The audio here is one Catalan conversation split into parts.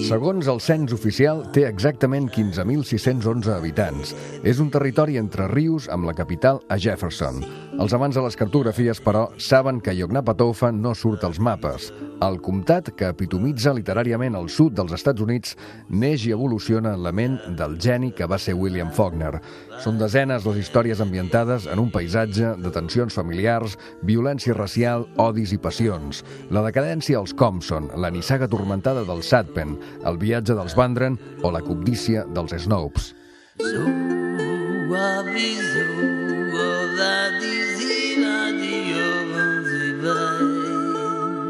Segons el cens oficial, té exactament 15.611 habitants. És un territori entre rius amb la capital a Jefferson. Els amants de les cartografies, però, saben que Yoknapatawpha no surt als mapes. El comtat, que epitomitza literàriament el sud dels Estats Units, neix i evoluciona en la ment del geni que va ser William Faulkner. Són desenes les històries ambientades en un paisatge de tensions familiars, violència racial, odis i passions. La decadència als Compson, la nissaga tormentada dels Sadpen, el viatge dels Vandren o la cobdícia dels Snopes.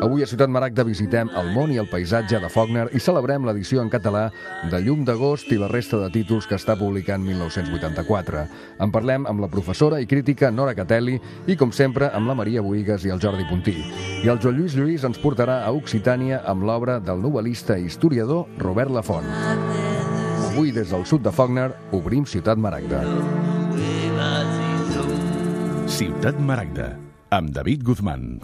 Avui a Ciutat Maragda visitem el món i el paisatge de Faulkner i celebrem l'edició en català de Llum d'agost i la resta de títols que està publicant 1984. En parlem amb la professora i crítica Nora Catelli i, com sempre, amb la Maria Bohigas i el Jordi Puntí. I el Joan Lluís Lluís ens portarà a Occitània amb l'obra del novel·lista i historiador Robert Lafont. Avui, des del sud de Faulkner, obrim Ciutat Maragda. Ciutat Maragda, amb David Guzmán.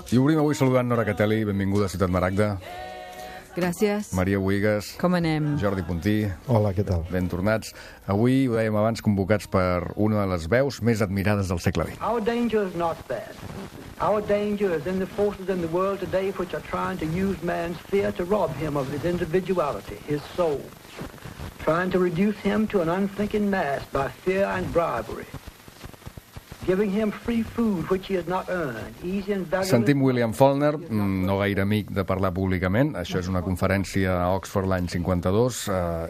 I obrim avui saludant Nora Catelli, benvinguda a Ciutat Maragda. Gràcies. Maria Bohigas. Com anem? Jordi Puntí. Hola, què tal? Ben tornats. Avui, ho dèiem abans, convocats per una de les veus més admirades del segle XX. Our danger is not that. Our danger is in the forces in the world today which are trying to use man's fear to rob him of his individuality, his soul. Trying to reduce him to an unthinking mass by fear and bribery. Giving him free food which he has not earned, easy and valuable... Sentim William Faulkner, no gaire amic de parlar públicament. Això és una conferència a Oxford l'any 52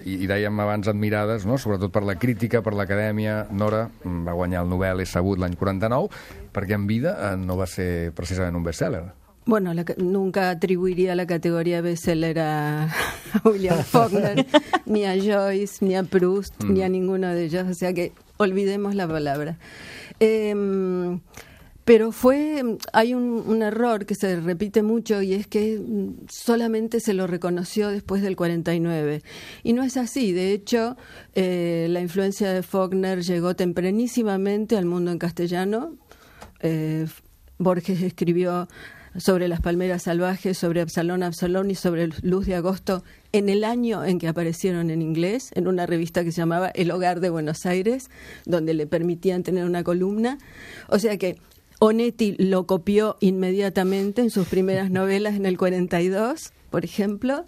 i dèiem abans admirades, no? Sobretot per la crítica, per l'acadèmia. Nora va guanyar el Nobel, és sabut, l'any 49, perquè en vida no va ser precisament un bestseller. Bueno, nunca atribuiría la categoría bestseller a William Faulkner, ni a Joyce, ni a Proust, ni a ninguno de ellos. O sea que olvidemos la palabra. Pero hay un error que se repite mucho y es que solamente se lo reconoció después del 49. Y no es así. De hecho, la influencia de Faulkner llegó tempranísimamente al mundo en castellano. Borges escribió sobre las palmeras salvajes, sobre Absalón, Absalón y sobre Luz de Agosto en el año en que aparecieron en inglés, en una revista que se llamaba El Hogar de Buenos Aires, donde le permitían tener una columna. O sea que Onetti lo copió inmediatamente en sus primeras novelas en el 42, por ejemplo,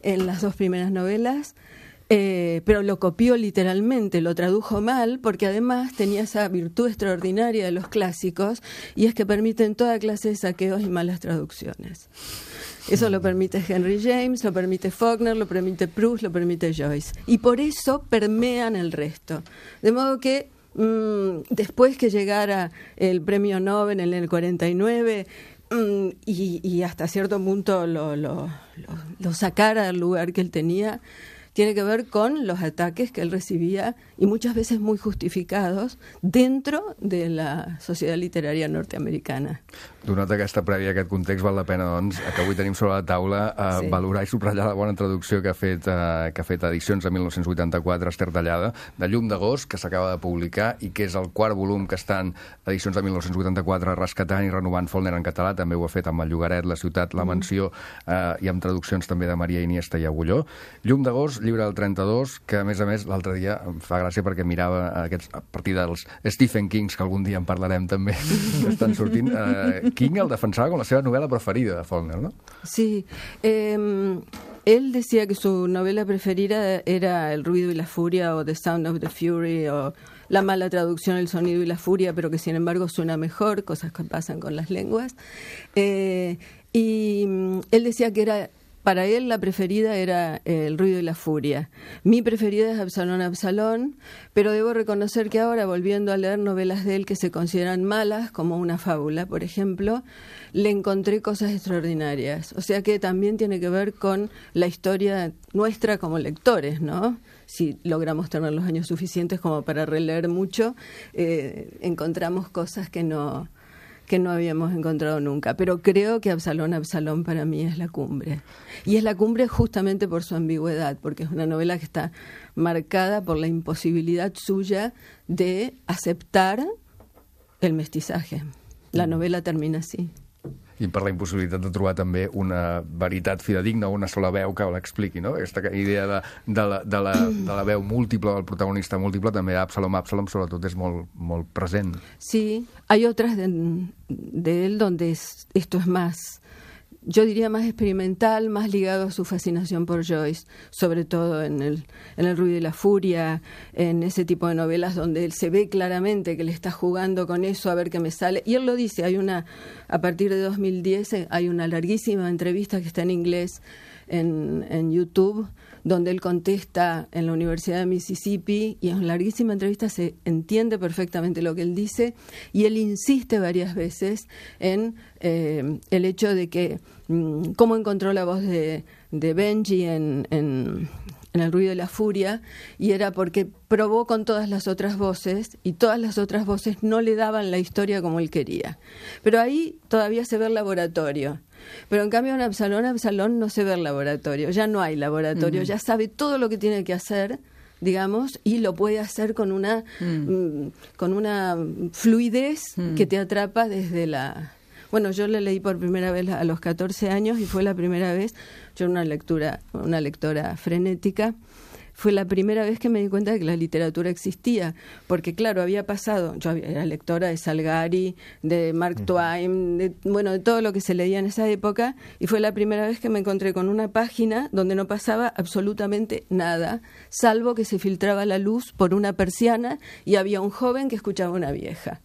en las dos primeras novelas. Pero lo copió literalmente, lo tradujo mal, porque además tenía esa virtud extraordinaria de los clásicos, y es que permiten toda clase de saqueos y malas traducciones. Eso lo permite Henry James, lo permite Faulkner, lo permite Proust, lo permite Joyce. Y por eso permean el resto. De modo que después que llegara el premio Nobel en el 49... y hasta cierto punto lo sacara del lugar que él tenía, tiene que ver con los ataques que él recibía, y muchas veces muy justificados, dentro de la societat literària norteamericana. Donat aquesta prèvia, aquest context, val la pena, doncs, que avui tenim sobre la taula valorar i subratllar la bona traducció que ha fet Edicions de 1984, Ester Tallada, de Llum d'agost, que s'acaba de publicar i que és el quart volum que estan Edicions de 1984 rescatant i renovant Faulkner en català. També ho ha fet amb El Llogaret, La ciutat, La mansió, i amb traduccions també de Maria Iniesta i Agulló. Llum d'agost, llibre del 32, que a més l'altre dia em fa gràcia perquè mirava a partir dels Stephen Kings, que algun dia en parlarem també, que estan sortint. King el defensava com la seva novel·la preferida de Faulkner, ¿no? Sí. Él decía que su novela preferida era El ruido y la furia, o The Sound of the Fury, o la mala traducción El sonido y la furia, pero que sin embargo suena mejor, cosas que pasan con las lenguas. Y él decía que era para él la preferida era El ruido y la furia. Mi preferida es Absalón, Absalón, pero debo reconocer que ahora, volviendo a leer novelas de él que se consideran malas, como Una fábula, por ejemplo, le encontré cosas extraordinarias. O sea que también tiene que ver con la historia nuestra como lectores, ¿no? Si logramos tener los años suficientes como para releer mucho, encontramos cosas que no habíamos encontrado nunca. Pero creo que Absalón, Absalón para mí es la cumbre. Y es la cumbre justamente por su ambigüedad, porque es una novela que está marcada por la imposibilidad suya de aceptar el mestizaje. La novela termina así. I per la impossibilitat de trobar també una veritat fidedigna o una sola veu que l'expliqui, no? Aquesta idea de la veu múltiple, del protagonista múltiple, també a Absalom sobretot és molt present. Sí, hay otras de él donde esto es más, yo diría más experimental, más ligado a su fascinación por Joyce, sobre todo en el ruido y la furia, en ese tipo de novelas donde él se ve claramente que le está jugando con eso a ver qué me sale. Y él lo dice, a partir de 2010 hay una larguísima entrevista que está en inglés en YouTube, donde él contesta en la Universidad de Mississippi, y en una larguísima entrevista se entiende perfectamente lo que él dice, y él insiste varias veces en el hecho de que cómo encontró la voz de Benji en El ruido y la furia, y era porque probó con todas las otras voces, y todas las otras voces no le daban la historia como él quería. Pero ahí todavía se ve el laboratorio. Pero en cambio en Absalón no se ve el laboratorio, ya no hay laboratorio, ya sabe todo lo que tiene que hacer, digamos, y lo puede hacer con una fluidez que te atrapa desde la... Bueno, yo le leí por primera vez a los 14 años y fue la primera vez, yo era una lectora frenética, fue la primera vez que me di cuenta de que la literatura existía, porque claro, había pasado, yo era lectora de Salgari, de Mark Twain, de todo lo que se leía en esa época, y fue la primera vez que me encontré con una página donde no pasaba absolutamente nada, salvo que se filtraba la luz por una persiana y había un joven que escuchaba a una vieja,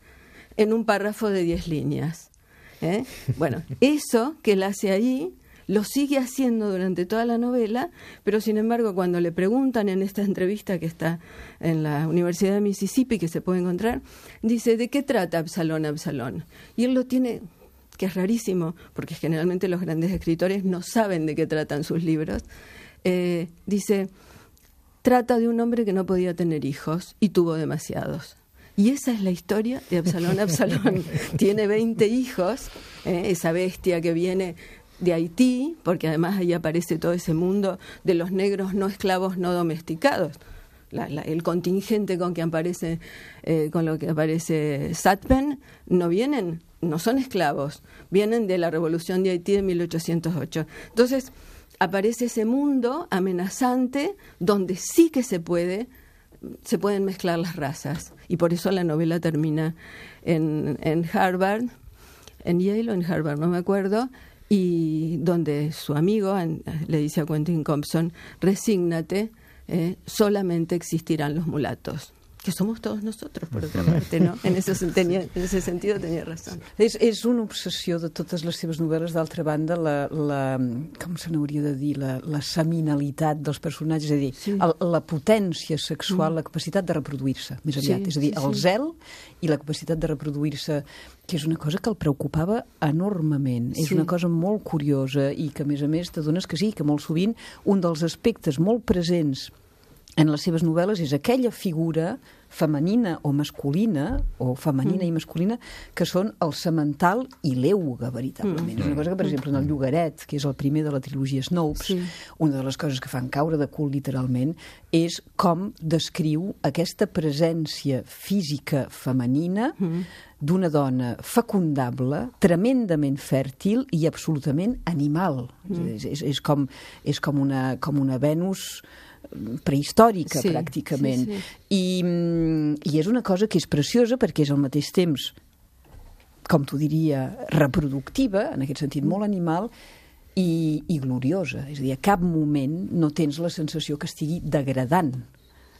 en un párrafo de 10 líneas. Bueno, eso que él hace ahí lo sigue haciendo durante toda la novela, pero sin embargo cuando le preguntan en esta entrevista que está en la Universidad de Mississippi, que se puede encontrar, dice, ¿de qué trata Absalón, Absalón? Y él lo tiene, que es rarísimo, porque generalmente los grandes escritores no saben de qué tratan sus libros, dice, trata de un hombre que no podía tener hijos y tuvo demasiados. Y esa es la historia de Absalón, Absalón. Tiene 20 hijos, esa bestia que viene de Haití, porque además ahí aparece todo ese mundo de los negros no esclavos, no domesticados. El contingente con lo que aparece Satpen no son esclavos, vienen de la Revolución de Haití de 1808. Entonces aparece ese mundo amenazante donde sí que se pueden mezclar las razas, y por eso la novela termina en Harvard, en Yale o en Harvard, no me acuerdo, y donde su amigo le dice a Quentin Compson, resígnate, solamente existirán los mulatos, que somos todos nosotros, por otra parte, ¿no? En ese sentido tenía razón. És una obsessió de totes les seves novel·les. D'altra banda, com se n'hauria de dir, la seminalitat dels personatges, és a dir, sí, la potència sexual, la capacitat de reproduir-se, més aviat, és a dir, el zel i la capacitat de reproduir-se, que és una cosa que el preocupava enormement. És una cosa molt curiosa i que, a més, t'adones que sí, que molt sovint un dels aspectes molt presents en les seves novel·les és aquella figura femenina o masculina, o femenina i masculina, que són el semental i l'euga, veritablement. És una cosa que, per exemple, en el Llogaret, que és el primer de la trilogia Snopes, una de les coses que fan caure de cul, literalment, és com descriu aquesta presència física femenina d'una dona fecundable, tremendament fèrtil i absolutament animal. És com una Venus prehistòrica, pràcticament. I és una cosa que és preciosa perquè és al mateix temps, com t'ho diria, reproductiva, en aquest sentit molt animal, i gloriosa. És a dir, a cap moment no tens la sensació que estigui degradant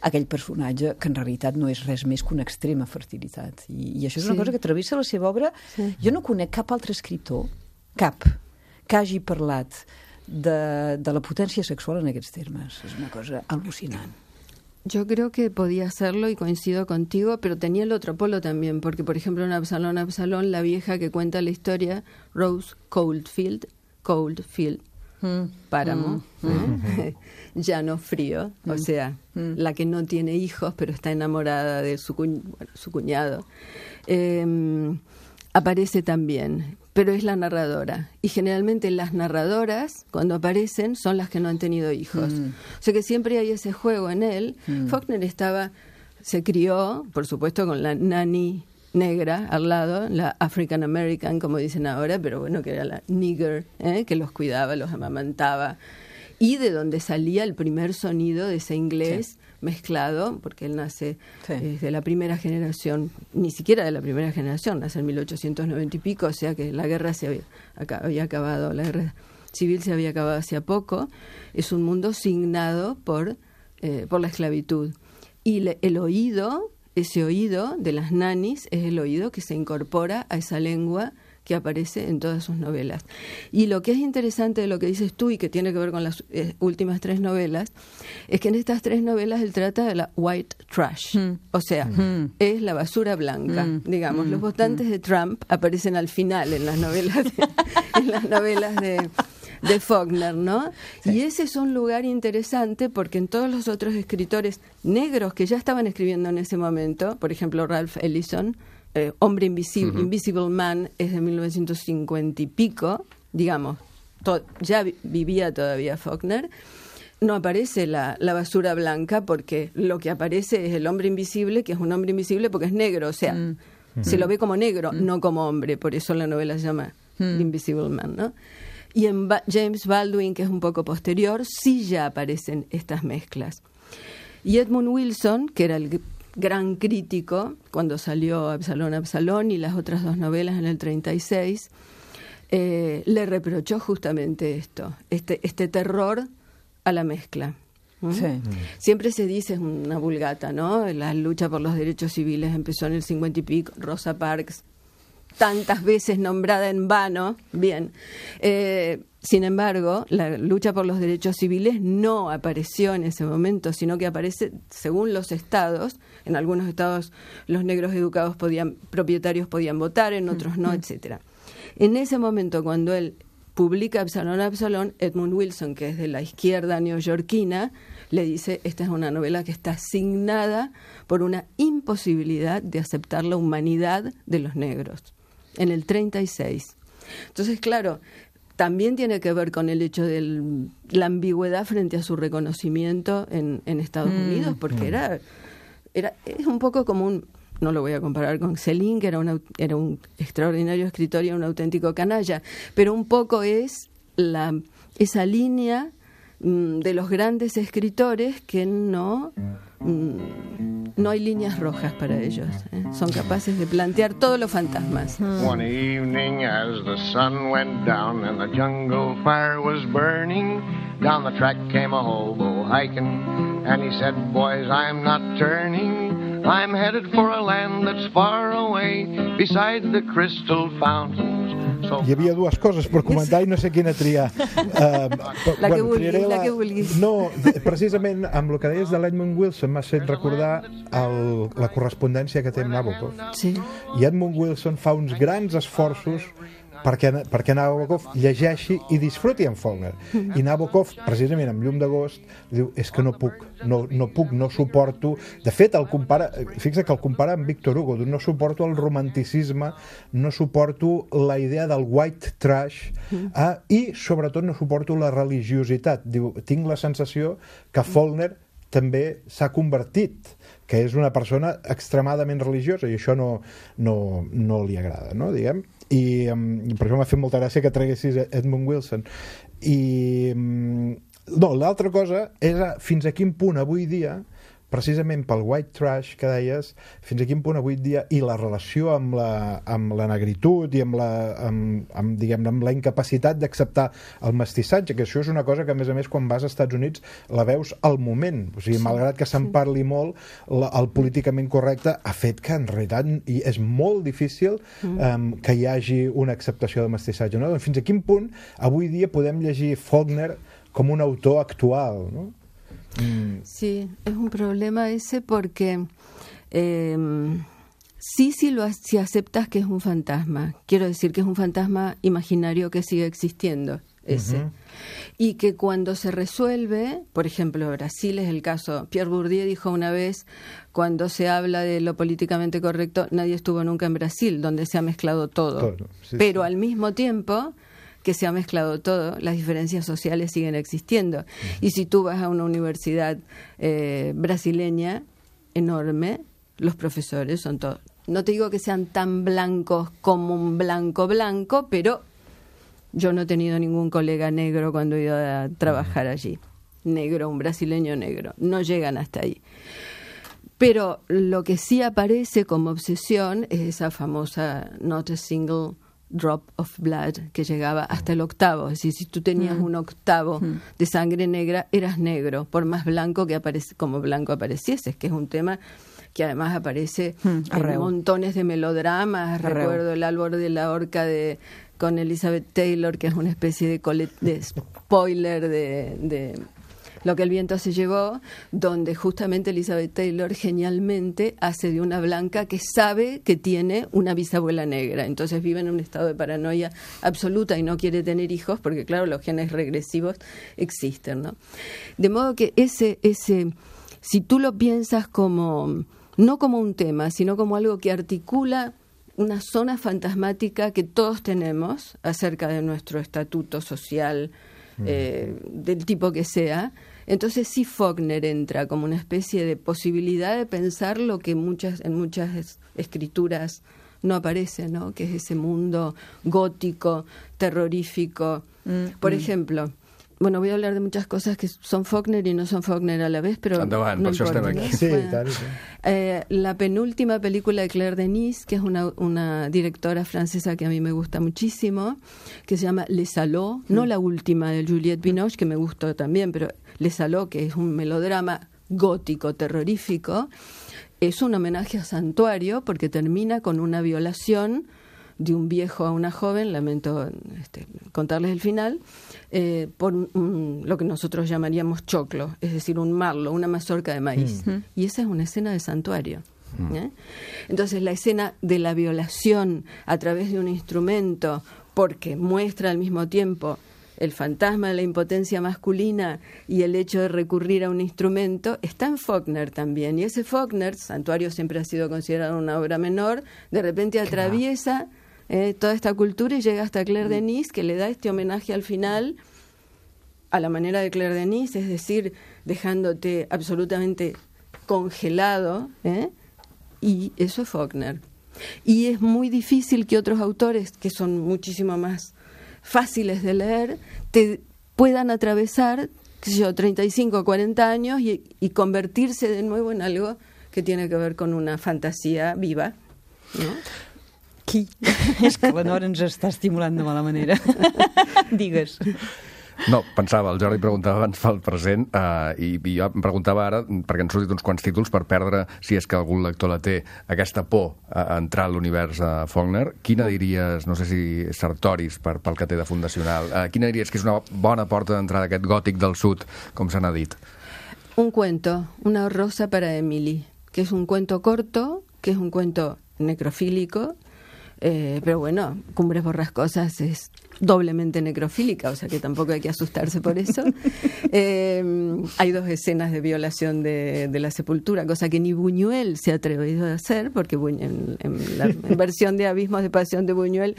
aquell personatge, que en realitat no és res més que una extrema fertilitat. I això és una cosa que travessa la seva obra. Jo no conec cap altre escriptor, cap, que hagi parlat de la potència sexual en aquests termes. És una cosa al·lucinant. Yo creo que podía hacerlo y coincido contigo, pero tenía el otro polo también, porque por ejemplo en Absalón, la vieja que cuenta la historia, Rose Coldfield, Páramo, llano frío, o sea, la que no tiene hijos pero está enamorada de su cuñado, aparece también, pero es la narradora. Y generalmente las narradoras, cuando aparecen, son las que no han tenido hijos. O sea que siempre hay ese juego en él. Faulkner se crió, por supuesto, con la nanny negra al lado, la African American, como dicen ahora, pero bueno, que era la nigger, que los cuidaba, los amamantaba. Y de donde salía el primer sonido de ese inglés mezclado, porque él nace de la primera generación, ni siquiera de la primera generación, nace en 1890 y pico, o sea que la guerra había acabado, la guerra civil se había acabado hacía poco. Es un mundo signado por la esclavitud. Y el oído, ese oído de las nannies, es el oído que se incorpora a esa lengua que aparece en todas sus novelas. Y lo que es interesante de lo que dices tú y que tiene que ver con las últimas 3 novelas, es que en estas 3 novelas él trata de la white trash, o sea, es la basura blanca, digamos. Los votantes de Trump aparecen al final en las novelas de Faulkner, ¿no? Sí. Y ese es un lugar interesante porque en todos los otros escritores negros que ya estaban escribiendo en ese momento, por ejemplo Ralph Ellison, Hombre Invisible, Invisible Man, es de 1950 y pico, digamos, ya vivía todavía Faulkner. No aparece la basura blanca porque lo que aparece es el hombre invisible, que es un hombre invisible porque es negro, o sea, se lo ve como negro, no como hombre, por eso la novela se llama Invisible Man, ¿no? Y en James Baldwin, que es un poco posterior, sí ya aparecen estas mezclas. Y Edmund Wilson, que era el gran crítico cuando salió Absalón y las otras 2 novelas en el 36, le reprochó justamente esto, este terror a la mezcla. Sí. Siempre se dice, es una vulgata, ¿no? La lucha por los derechos civiles empezó en el 50 y pico, Rosa Parks, tantas veces nombrada en vano, bien. Sin embargo, la lucha por los derechos civiles no apareció en ese momento, sino que aparece según los estados. En algunos estados los negros educados propietarios podían votar, en otros no, etcétera. En ese momento, cuando él publica Absalón, Edmund Wilson, que es de la izquierda neoyorquina, le dice, esta es una novela que está asignada por una imposibilidad de aceptar la humanidad de los negros. En el 36. Entonces, claro, también tiene que ver con el hecho de la ambigüedad frente a su reconocimiento en Estados Unidos, porque es un poco como no lo voy a comparar con Céline, que era un extraordinario escritor y un auténtico canalla, pero un poco es esa línea de los grandes escritores que no hay líneas rojas para ellos, son capaces de plantear todos los fantasmas. One evening as the sun went down and the jungle fire was burning, down the track came a hobo hiking and he said, boys, I'm not turning, I'm headed for a land that's far away beside the crystal fountains. Hi havia 2 coses per comentar i no sé quina triar. La que vulguis. No, precisament amb el que deies de l'Edmund Wilson m'has fet recordar la correspondència que té amb Nabokov. Sí. I Edmund Wilson fa uns grans esforços perquè Nabokov llegeixi i disfruti amb Faulkner. I Nabokov, precisament amb Llum d'agost, diu, és que no puc, no suporto. De fet, fixa que el compara amb Victor Hugo, no suporto el romanticisme, no suporto la idea del white trash i, sobretot, no suporto la religiositat. Diu, tinc la sensació que Faulkner també s'ha convertit, que és una persona extremadament religiosa i això no li agrada, no? Diguem. I per això m'ha fet molta gràcia que traguessis Edmund Wilson. I l'altra cosa és fins a quin punt avui dia precisament pel white trash que deies, fins a quin punt avui dia, i la relació amb la negritud i amb la incapacitat d'acceptar el mestissatge, que això és una cosa que, a més, quan vas als Estats Units la veus al moment. O sigui, malgrat que se'n parli molt, el políticament correcte ha fet que, en realitat, és molt difícil que hi hagi una acceptació del mestissatge. No? Fins a quin punt avui dia podem llegir Faulkner com un autor actual, ¿no? Sí, es un problema ese porque si aceptas que es un fantasma, quiero decir que es un fantasma imaginario que sigue existiendo, ese. Y que cuando se resuelve, por ejemplo, Brasil es el caso, Pierre Bourdieu dijo una vez, cuando se habla de lo políticamente correcto, nadie estuvo nunca en Brasil, donde se ha mezclado todo. Pero al mismo tiempo que se ha mezclado todo, las diferencias sociales siguen existiendo. Y si tú vas a una universidad brasileña enorme, los profesores son todos. No te digo que sean tan blancos como un blanco, pero yo no he tenido ningún colega negro cuando he ido a trabajar allí. Negro, un brasileño negro. No llegan hasta ahí. Pero lo que sí aparece como obsesión es esa famosa not a single drop of blood, que llegaba hasta el octavo. Es decir, si tú tenías un octavo de sangre negra, eras negro, por más blanco que como blanco aparecieses, que es un tema que además aparece en montones de melodramas. Recuerdo El árbol de la horca con Elizabeth Taylor, que es una especie de spoiler de Lo que el viento se llevó, donde justamente Elizabeth Taylor genialmente hace de una blanca que sabe que tiene una bisabuela negra. Entonces vive en un estado de paranoia absoluta y no quiere tener hijos porque, claro, los genes regresivos existen, ¿no? De modo que ese si tú lo piensas como, no como un tema, sino como algo que articula una zona fantasmática que todos tenemos acerca de nuestro estatuto social, del tipo que sea, entonces sí Faulkner entra como una especie de posibilidad de pensar lo que en muchas escrituras no aparece, ¿no? Que es ese mundo gótico, terrorífico. Por ejemplo, bueno, voy a hablar de muchas cosas que son Faulkner y no son Faulkner a la vez, pero endavant, no per això importa, estem aquí. ¿no? Sí, Bueno, tant, sí. la penúltima película de Claire Denis, que es una directora francesa que a mí me gusta muchísimo, que se llama Les Salauds, no la última de Juliette Binoche, que me gustó también, pero Les Salauds, que es un melodrama gótico, terrorífico, es un homenaje a Santuario porque termina con una violación de un viejo a una joven, lamento contarles el final, por lo que nosotros llamaríamos choclo, es decir, un marlo, una mazorca de maíz. Y esa es una escena de Santuario. Entonces la escena de la violación a través de un instrumento, porque muestra al mismo tiempo el fantasma de la impotencia masculina y el hecho de recurrir a un instrumento, está en Faulkner también. Y ese Faulkner, Santuario siempre ha sido considerado una obra menor, de repente atraviesa toda esta cultura y llega hasta Claire Denis, que le da este homenaje al final a la manera de Claire Denis, es decir, dejándote absolutamente congelado, y eso es Faulkner. Y es muy difícil que otros autores, que son muchísimo más fáciles de leer, te puedan atravesar, qué sé yo, 35 o 40 años y convertirse de nuevo en algo que tiene que ver con una fantasía viva, ¿no? Qui? És que la Nora ens està estimulant de mala manera. Digues. No, pensava, el Jordi preguntava abans pel present i jo em preguntava ara, perquè han sortit uns quants títols per perdre, si és que algun lector la té, aquesta por a entrar a l'univers Faulkner. Quina diries, no sé si Sartoris pel que té de fundacional, quina diries que és una bona porta d'entrada d'aquest gòtic del sud, com se n'ha dit? Un cuento, Una rosa para Emily, que es un cuento corto, que es un cuento necrofílico, pero bueno, Cumbres Borrascosas es doblemente necrofílica, o sea que tampoco hay que asustarse por eso. Hay 2 escenas de violación de la sepultura, cosa que ni Buñuel se ha atrevido a hacer, porque en la versión de Abismos de Pasión de Buñuel,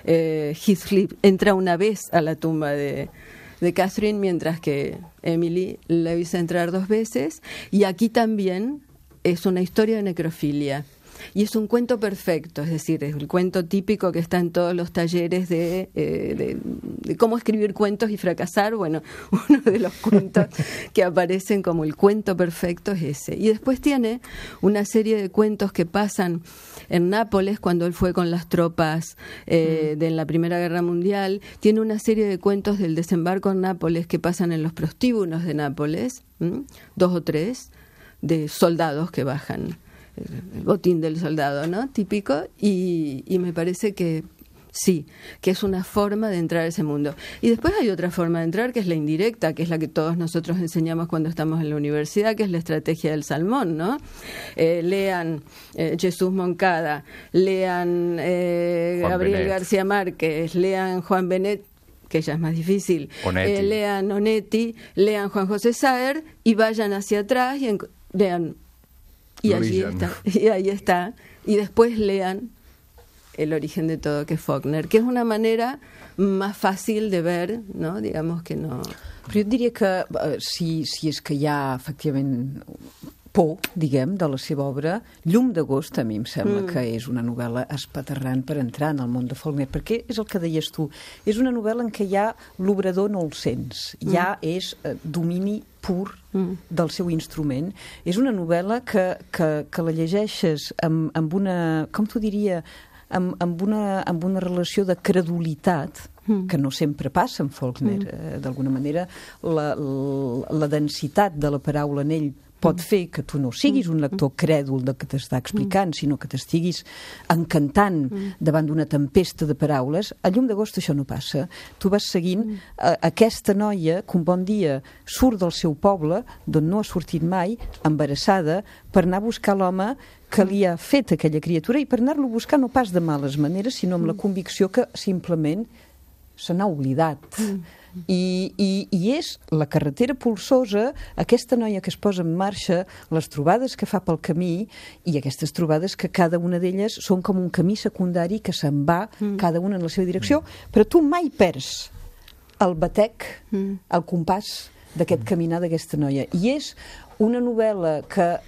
Heathcliff entra una vez a la tumba de Catherine, mientras que Emily le avisa entrar 2 veces, y aquí también es una historia de necrofilia. Y es un cuento perfecto, es decir, es el cuento típico que está en todos los talleres de cómo escribir cuentos y fracasar. Bueno, uno de los cuentos que aparecen como el cuento perfecto es ese. Y después tiene una serie de cuentos que pasan en Nápoles cuando él fue con las tropas de la Primera Guerra Mundial. Tiene una serie de cuentos del desembarco en Nápoles que pasan en los prostíbulos de Nápoles, 2 o 3, de soldados que bajan, el botín del soldado, ¿no? Típico, y me parece que sí, que es una forma de entrar a ese mundo. Y después hay otra forma de entrar, que es la indirecta, que es la que todos nosotros enseñamos cuando estamos en la universidad, que es la estrategia del salmón, ¿no? Lean Jesús Moncada, lean Gabriel García Márquez, lean Juan Benet, que ya es más difícil, lean Onetti, lean Juan José Saer y vayan hacia atrás y lean, y allí está, y ahí está, y después lean El origen de todo, que es Faulkner, que és una manera més fàcil de ver, no? Digamos que no... Però jo et diria que si és que hi ha efectivament por, diguem, de la seva obra, Llum d'agost a mi em sembla que és una novel·la espaterrant per entrar en el món de Faulkner, perquè és el que deies tu, és una novel·la en què ja l'obrador no el sents, ja és domini pur del seu instrument. És una novel·la que la llegeixes amb una, com t'ho diria, amb una relació de credulitat que no sempre passa en Faulkner. D'alguna manera, la densitat de la paraula en ell pot fer que tu no siguis un lector crèdul del que t'està explicant, sinó que t'estiguis encantant davant d'una tempesta de paraules. A Llum d'agost això no passa. Tu vas seguint aquesta noia que un bon dia surt del seu poble, d'on no ha sortit mai, embarassada, per anar a buscar l'home que li ha fet aquella criatura i per anar-lo a buscar no pas de males maneres, sinó amb la convicció que simplement se n'ha oblidat. I és la carretera polsosa, aquesta noia que es posa en marxa, les trobades que fa pel camí, i aquestes trobades que cada una d'elles són com un camí secundari que se'n va, cada una en la seva direcció, però tu mai perds el batec, el compàs d'aquest caminar d'aquesta noia. I és una novel·la que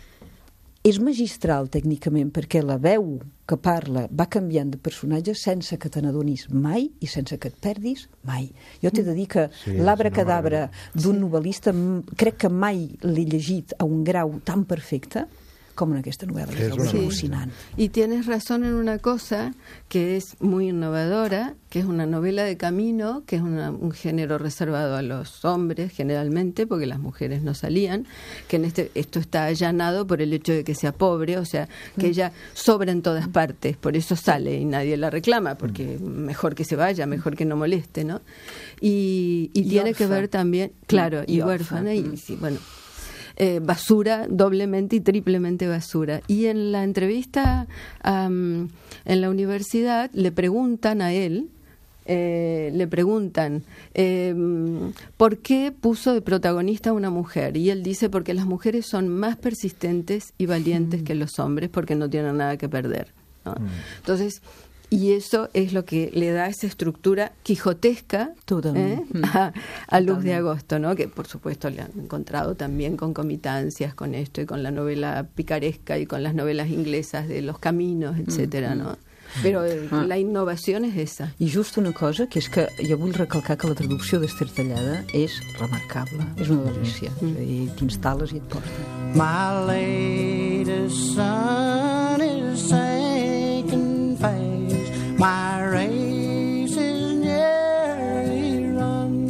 és magistral tècnicament perquè la veu que parla va canviant de personatge sense que te n'adonis mai i sense que et perdis mai. Jo t'he de dir que l'Abracadabra d'un novel·lista crec que mai l'he llegit a un grau tan perfecte como en aquesta novel·la, que és alucinant. Y tienes razón en una cosa que es muy innovadora, que es una novela de camino, que es un género reservado a los hombres generalmente, porque las mujeres no salían, que esto está allanado por el hecho de que sea pobre, o sea, que ella sobra en todas partes, por eso sale y nadie la reclama, porque mejor que se vaya, mejor que no moleste, ¿no? Y tiene que ver también, claro, y huérfana, y sí, bueno... basura, doblemente y triplemente basura. Y en la entrevista en la universidad le preguntan a él, ¿por qué puso de protagonista a una mujer? Y él dice, porque las mujeres son más persistentes y valientes que los hombres, porque no tienen nada que perder, ¿no? Entonces... Y eso es lo que le da esa estructura quijotesca a Luz de Agosto, ¿no? Que por supuesto le han encontrado también concomitancias con esto y con la novela picaresca y con las novelas inglesas de Los Caminos, etcétera, ¿no? Però la innovació és esa. I just una cosa, que és que jo vull recalcar que la traducció d'Ester Tallada és remarcable, és una delícia. I t'instal·les i et porta. My latest son is sinking fast. My race is nearly run.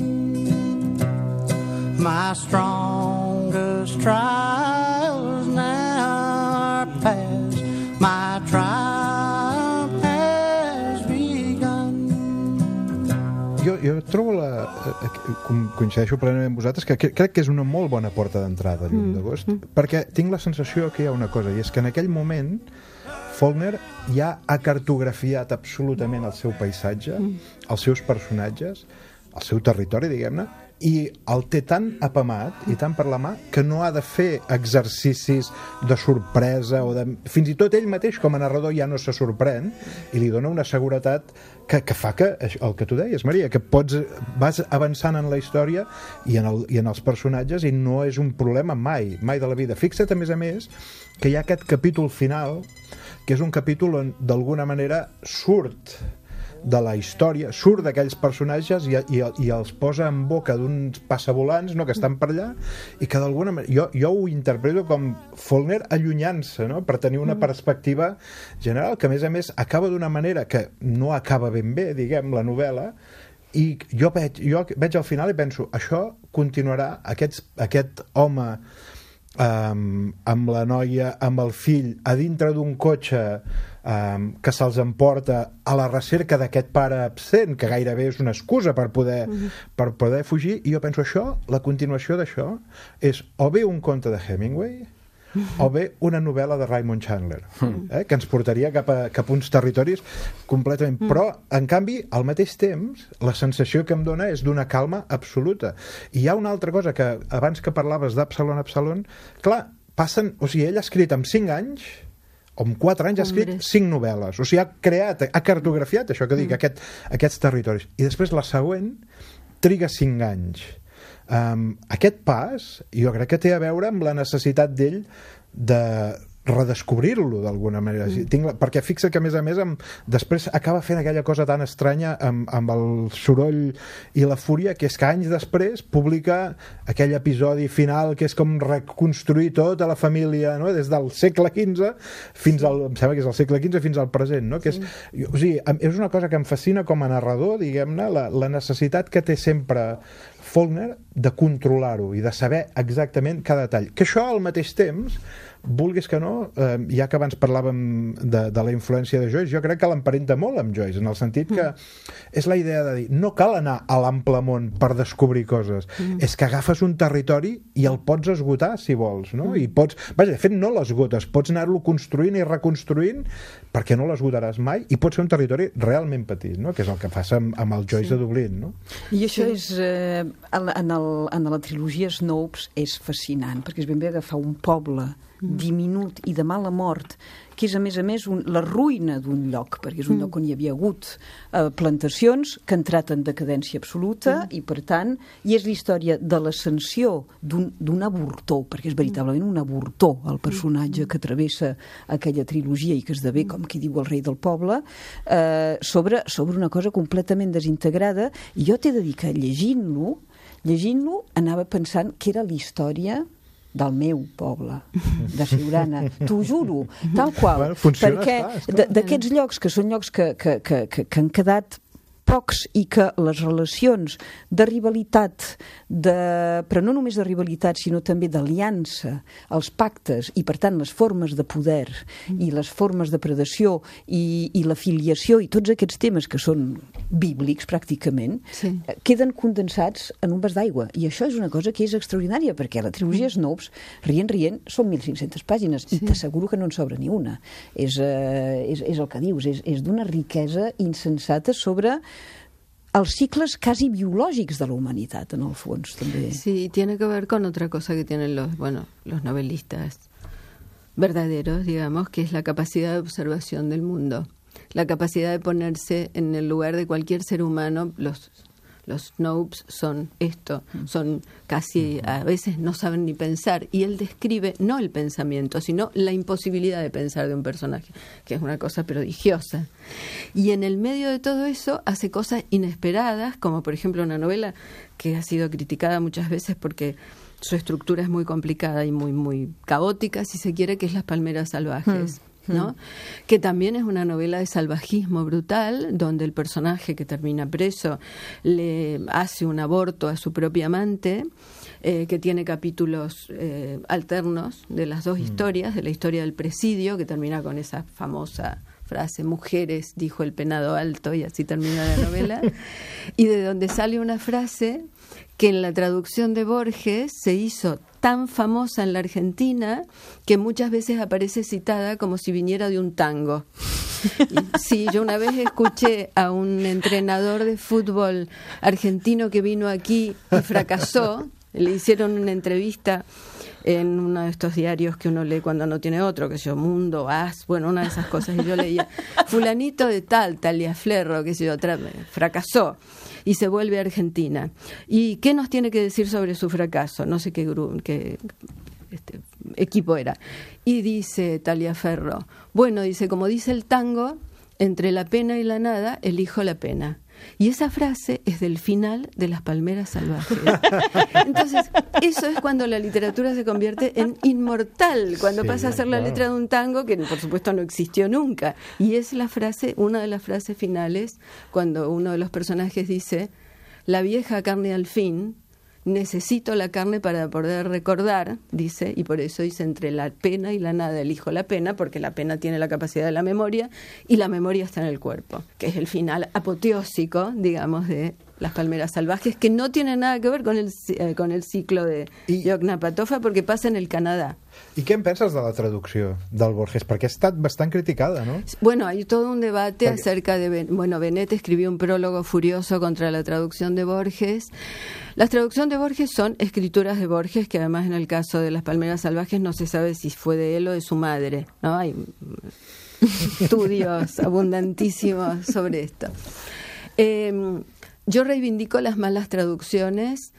My strongest trials now are past. My triumph has begun. Jo trobo coincideixo plenament amb vosaltres, que crec que és una molt bona porta d'entrada a Llum d'agost, perquè tinc la sensació que hi ha una cosa, i és que en aquell moment Faulkner ja ha cartografiat absolutament el seu paisatge, els seus personatges, el seu territori, diguem-ne, i el té tan apamat i tan per la mà que no ha de fer exercicis de sorpresa o de... Fins i tot ell mateix com a narrador ja no se sorprèn i li dona una seguretat que fa que, el que tu deies, Maria, que vas avançant en la història i en els personatges i no és un problema mai de la vida. Fixa't, a més, que hi ha aquest capítol final, que és un capítol on d'alguna manera surt de la història, surt d'aquells personatges i els posa en boca d'uns passavolants, no?, que estan per allà i que d'alguna manera... Jo ho interpreto com Faulkner allunyant-se, no?, per tenir una perspectiva general que, a més, acaba d'una manera que no acaba ben bé, diguem, la novel·la, i jo veig al final i penso, això continuarà, aquest home amb la noia, amb el fill, a dintre d'un cotxe que se'ls emporta a la recerca d'aquest pare absent, que gairebé és una excusa per poder fugir, i jo penso, la continuació d'això és o bé un conte de Hemingway o bé una novel·la de Raymond Chandler, que ens portaria cap a uns territoris completament... Però, en canvi, al mateix temps, la sensació que em dona és d'una calma absoluta. I hi ha una altra cosa que, abans que parlaves d'Absalom, clar, passen... O sigui, ell ha escrit en 5 anys, o en 4 anys ha escrit 5 novel·les. O sigui, ha cartografiat, això que dic, aquests territoris. I després la següent triga 5 anys. Aquest pas jo crec que té a veure amb la necessitat d'ell de redescobrir-lo d'alguna manera, perquè fixa que a més després acaba fent aquella cosa tan estranya amb el soroll i la fúria, que és que anys després publica aquell episodi final que és com reconstruir tota la família, no?, des del segle XV fins al, em sembla que és el segle XV fins al present, no?, que és, o sigui, és una cosa que em fascina com a narrador, diguem-ne, la necessitat que té sempre Faulkner de controlar-ho i de saber exactament cada detall, que això al mateix temps, vulguis que no, ja que abans parlàvem de la influència de Joyce, jo crec que l'emparenta molt amb Joyce, en el sentit que és la idea de dir, no cal anar a l'ample món per descobrir coses, és que agafes un territori i el pots esgotar si vols, no? I pots, vaja, de fet no l'esgotes, pots anar-lo construint i reconstruint perquè no l'esgotaràs mai i pot ser un territori realment petit, no?, que és el que passa amb el Joyce de Dublín, no? I això és, en la trilogia Snopes és fascinant, perquè és ben bé agafar un poble diminut i de mala mort, que és a més la ruïna d'un lloc, perquè és un lloc on hi havia hagut plantacions que han entrat en decadència absoluta i per tant, i és la història de l'ascensió d'un avortor, perquè és veritablement un avortor el personatge que travessa aquella trilogia i que esdevé, com qui diu, el rei del poble, sobre una cosa completament desintegrada, i jo t'he de dir que llegint-lo anava pensant que era la història del meu poble, de Siurana, t'ho juro, tal qual, perquè d'aquests llocs que són llocs que han quedat pocs i que les relacions de rivalitat, però no només de rivalitat, sinó també d'aliança, els pactes i, per tant, les formes de poder i les formes de predació i la filiació i tots aquests temes que són bíblics, pràcticament, queden condensats en un vas d'aigua. I això és una cosa que és extraordinària, perquè la trilogia Snopes, rient, són 1.500 pàgines i t'asseguro que no en sobra ni una. És el que dius, és d'una riquesa insensata sobre els cicles quasi biològics de la humanitat, en el fons, també. Sí, tiene que ver con otra cosa que tienen los novelistas verdaderos, digamos, que es la capacidad de observación del mundo, la capacidad de ponerse en el lugar de cualquier ser humano. Los Snopes son esto, son casi, a veces no saben ni pensar, y él describe no el pensamiento, sino la imposibilidad de pensar de un personaje, que es una cosa prodigiosa. Y en el medio de todo eso hace cosas inesperadas, como por ejemplo una novela que ha sido criticada muchas veces porque su estructura es muy complicada y muy, muy caótica, si se quiere, que es Las palmeras salvajes. ¿No? Que también es una novela de salvajismo brutal, donde el personaje que termina preso le hace un aborto a su propia amante, que tiene capítulos alternos de las dos historias, de la historia del presidio, que termina con esa famosa frase, mujeres, dijo el penado alto, y así termina la novela, y de donde sale una frase que en la traducción de Borges se hizo tan famosa en la Argentina que muchas veces aparece citada como si viniera de un tango. Sí, yo una vez escuché a un entrenador de fútbol argentino que vino aquí y fracasó. Le hicieron una entrevista en uno de estos diarios que uno lee cuando no tiene otro, que sé yo, Mundo, As, bueno, una de esas cosas, y yo leía, fulanito de tal, Taliaferro, que sé yo, fracasó y se vuelve a Argentina. ¿Y qué nos tiene que decir sobre su fracaso? No sé qué equipo era. Y dice Taliaferro, bueno, dice, como dice el tango, entre la pena y la nada, elijo la pena. Y esa frase es del final de Las palmeras salvajes. Entonces, eso es cuando la literatura se convierte en inmortal, cuando pasa a ser la letra de un tango que, por supuesto, no existió nunca. Y es la frase, una de las frases finales, cuando uno de los personajes dice, la vieja carne al fin, necesito la carne para poder recordar, dice, y por eso dice, entre la pena y la nada elijo la pena, porque la pena tiene la capacidad de la memoria y la memoria está en el cuerpo, que es el final apoteósico, digamos, de Las palmeras salvajes, que no tiene nada que ver con el ciclo de Yoknapatawpha, porque pasa en el Canadá. I què en penses de la traducció del Borges? Perquè ha estat bastant criticada, ¿no? Bueno, hay todo un debate acerca de... Bueno, Benet escribió un prólogo furioso contra la traducción de Borges. Las traducciones de Borges son escrituras de Borges, que además en el caso de Las palmeras salvajes no se sabe si fue de él o de su madre, ¿no? Hay estudios abundantísimos sobre esto. Yo reivindico las malas traducciones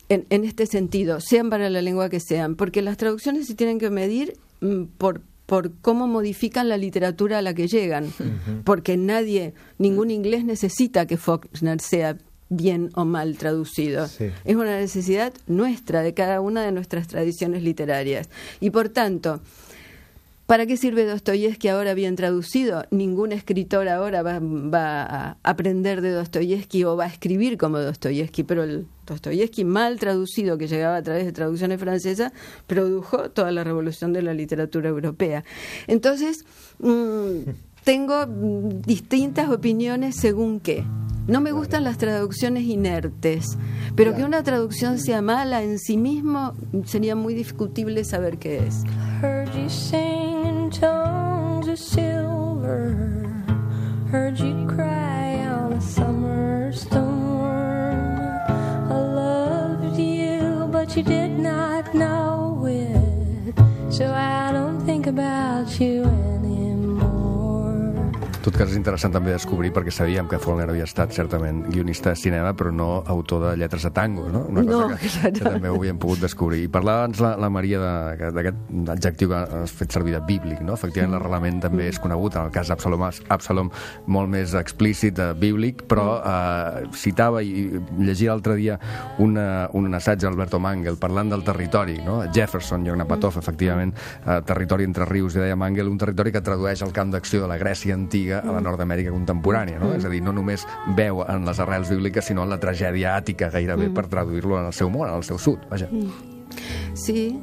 en este sentido, sean para la lengua que sean, porque las traducciones se tienen que medir por cómo modifican la literatura a la que llegan, porque ningún inglés necesita que Faulkner sea bien o mal traducido. Sí. Es una necesidad nuestra, de cada una de nuestras tradiciones literarias. Y por tanto, ¿para qué sirve Dostoyevski ahora bien traducido? Ningún escritor ahora va a aprender de Dostoyevski o va a escribir como Dostoyevski, pero el Dostoyevski mal traducido, que llegaba a través de traducciones francesas, produjo toda la revolución de la literatura europea. Entonces, tengo distintas opiniones según qué. No me gustan las traducciones inertes, pero que una traducción sea mala en sí mismo sería muy discutible saber qué es. Heard you sing in tones of silver, heard you cry on a summer storm. I loved you, but you did not know it, so I don't think about you anymore. En tot cas, és interessant també descobrir, perquè sabíem que Faulkner havia estat certament guionista de cinema, però no autor de lletres de tango, no? Una cosa que també ho havíem pogut descobrir. I parlava abans la Maria d'aquest adjectiu que has fet servir de bíblic, no? Efectivament, l'arrelament també és conegut, en el cas d'Absalom molt més explícit, bíblic, però citava i llegia l'altre dia un assaig d'Alberto Mangel parlant del territori, no? Jefferson, Yoknapatawpha, efectivament, territori entre rius, i deia Mangel, un territori que tradueix el camp d'acció de la Grècia antiga a la Nord-Amèrica contemporània, no? És a dir, no només veu en les arrels bíbliques, sinó en la tragèdia àtica, gairebé, per traduir-lo en el seu món, en el seu sud, vaja. Sí,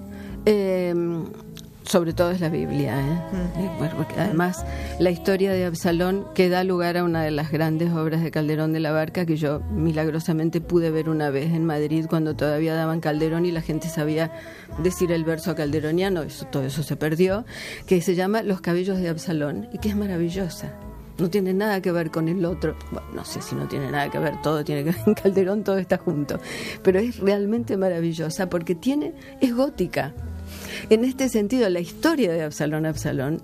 sobre todo es la Biblia, Bueno, porque además la historia de Absalón que da lugar a una de las grandes obras de Calderón de la Barca, que yo milagrosamente pude ver una vez en Madrid cuando todavía daban Calderón y la gente sabía decir el verso calderoniano, todo eso se perdió, que se llama Los cabellos de Absalón, y que es maravillosa. No tiene nada que ver con el otro. Bueno, no sé si no tiene nada que ver, todo tiene que ver. En Calderón todo está junto. Pero es realmente maravillosa porque es gótica. En este sentido, la historia de Absalón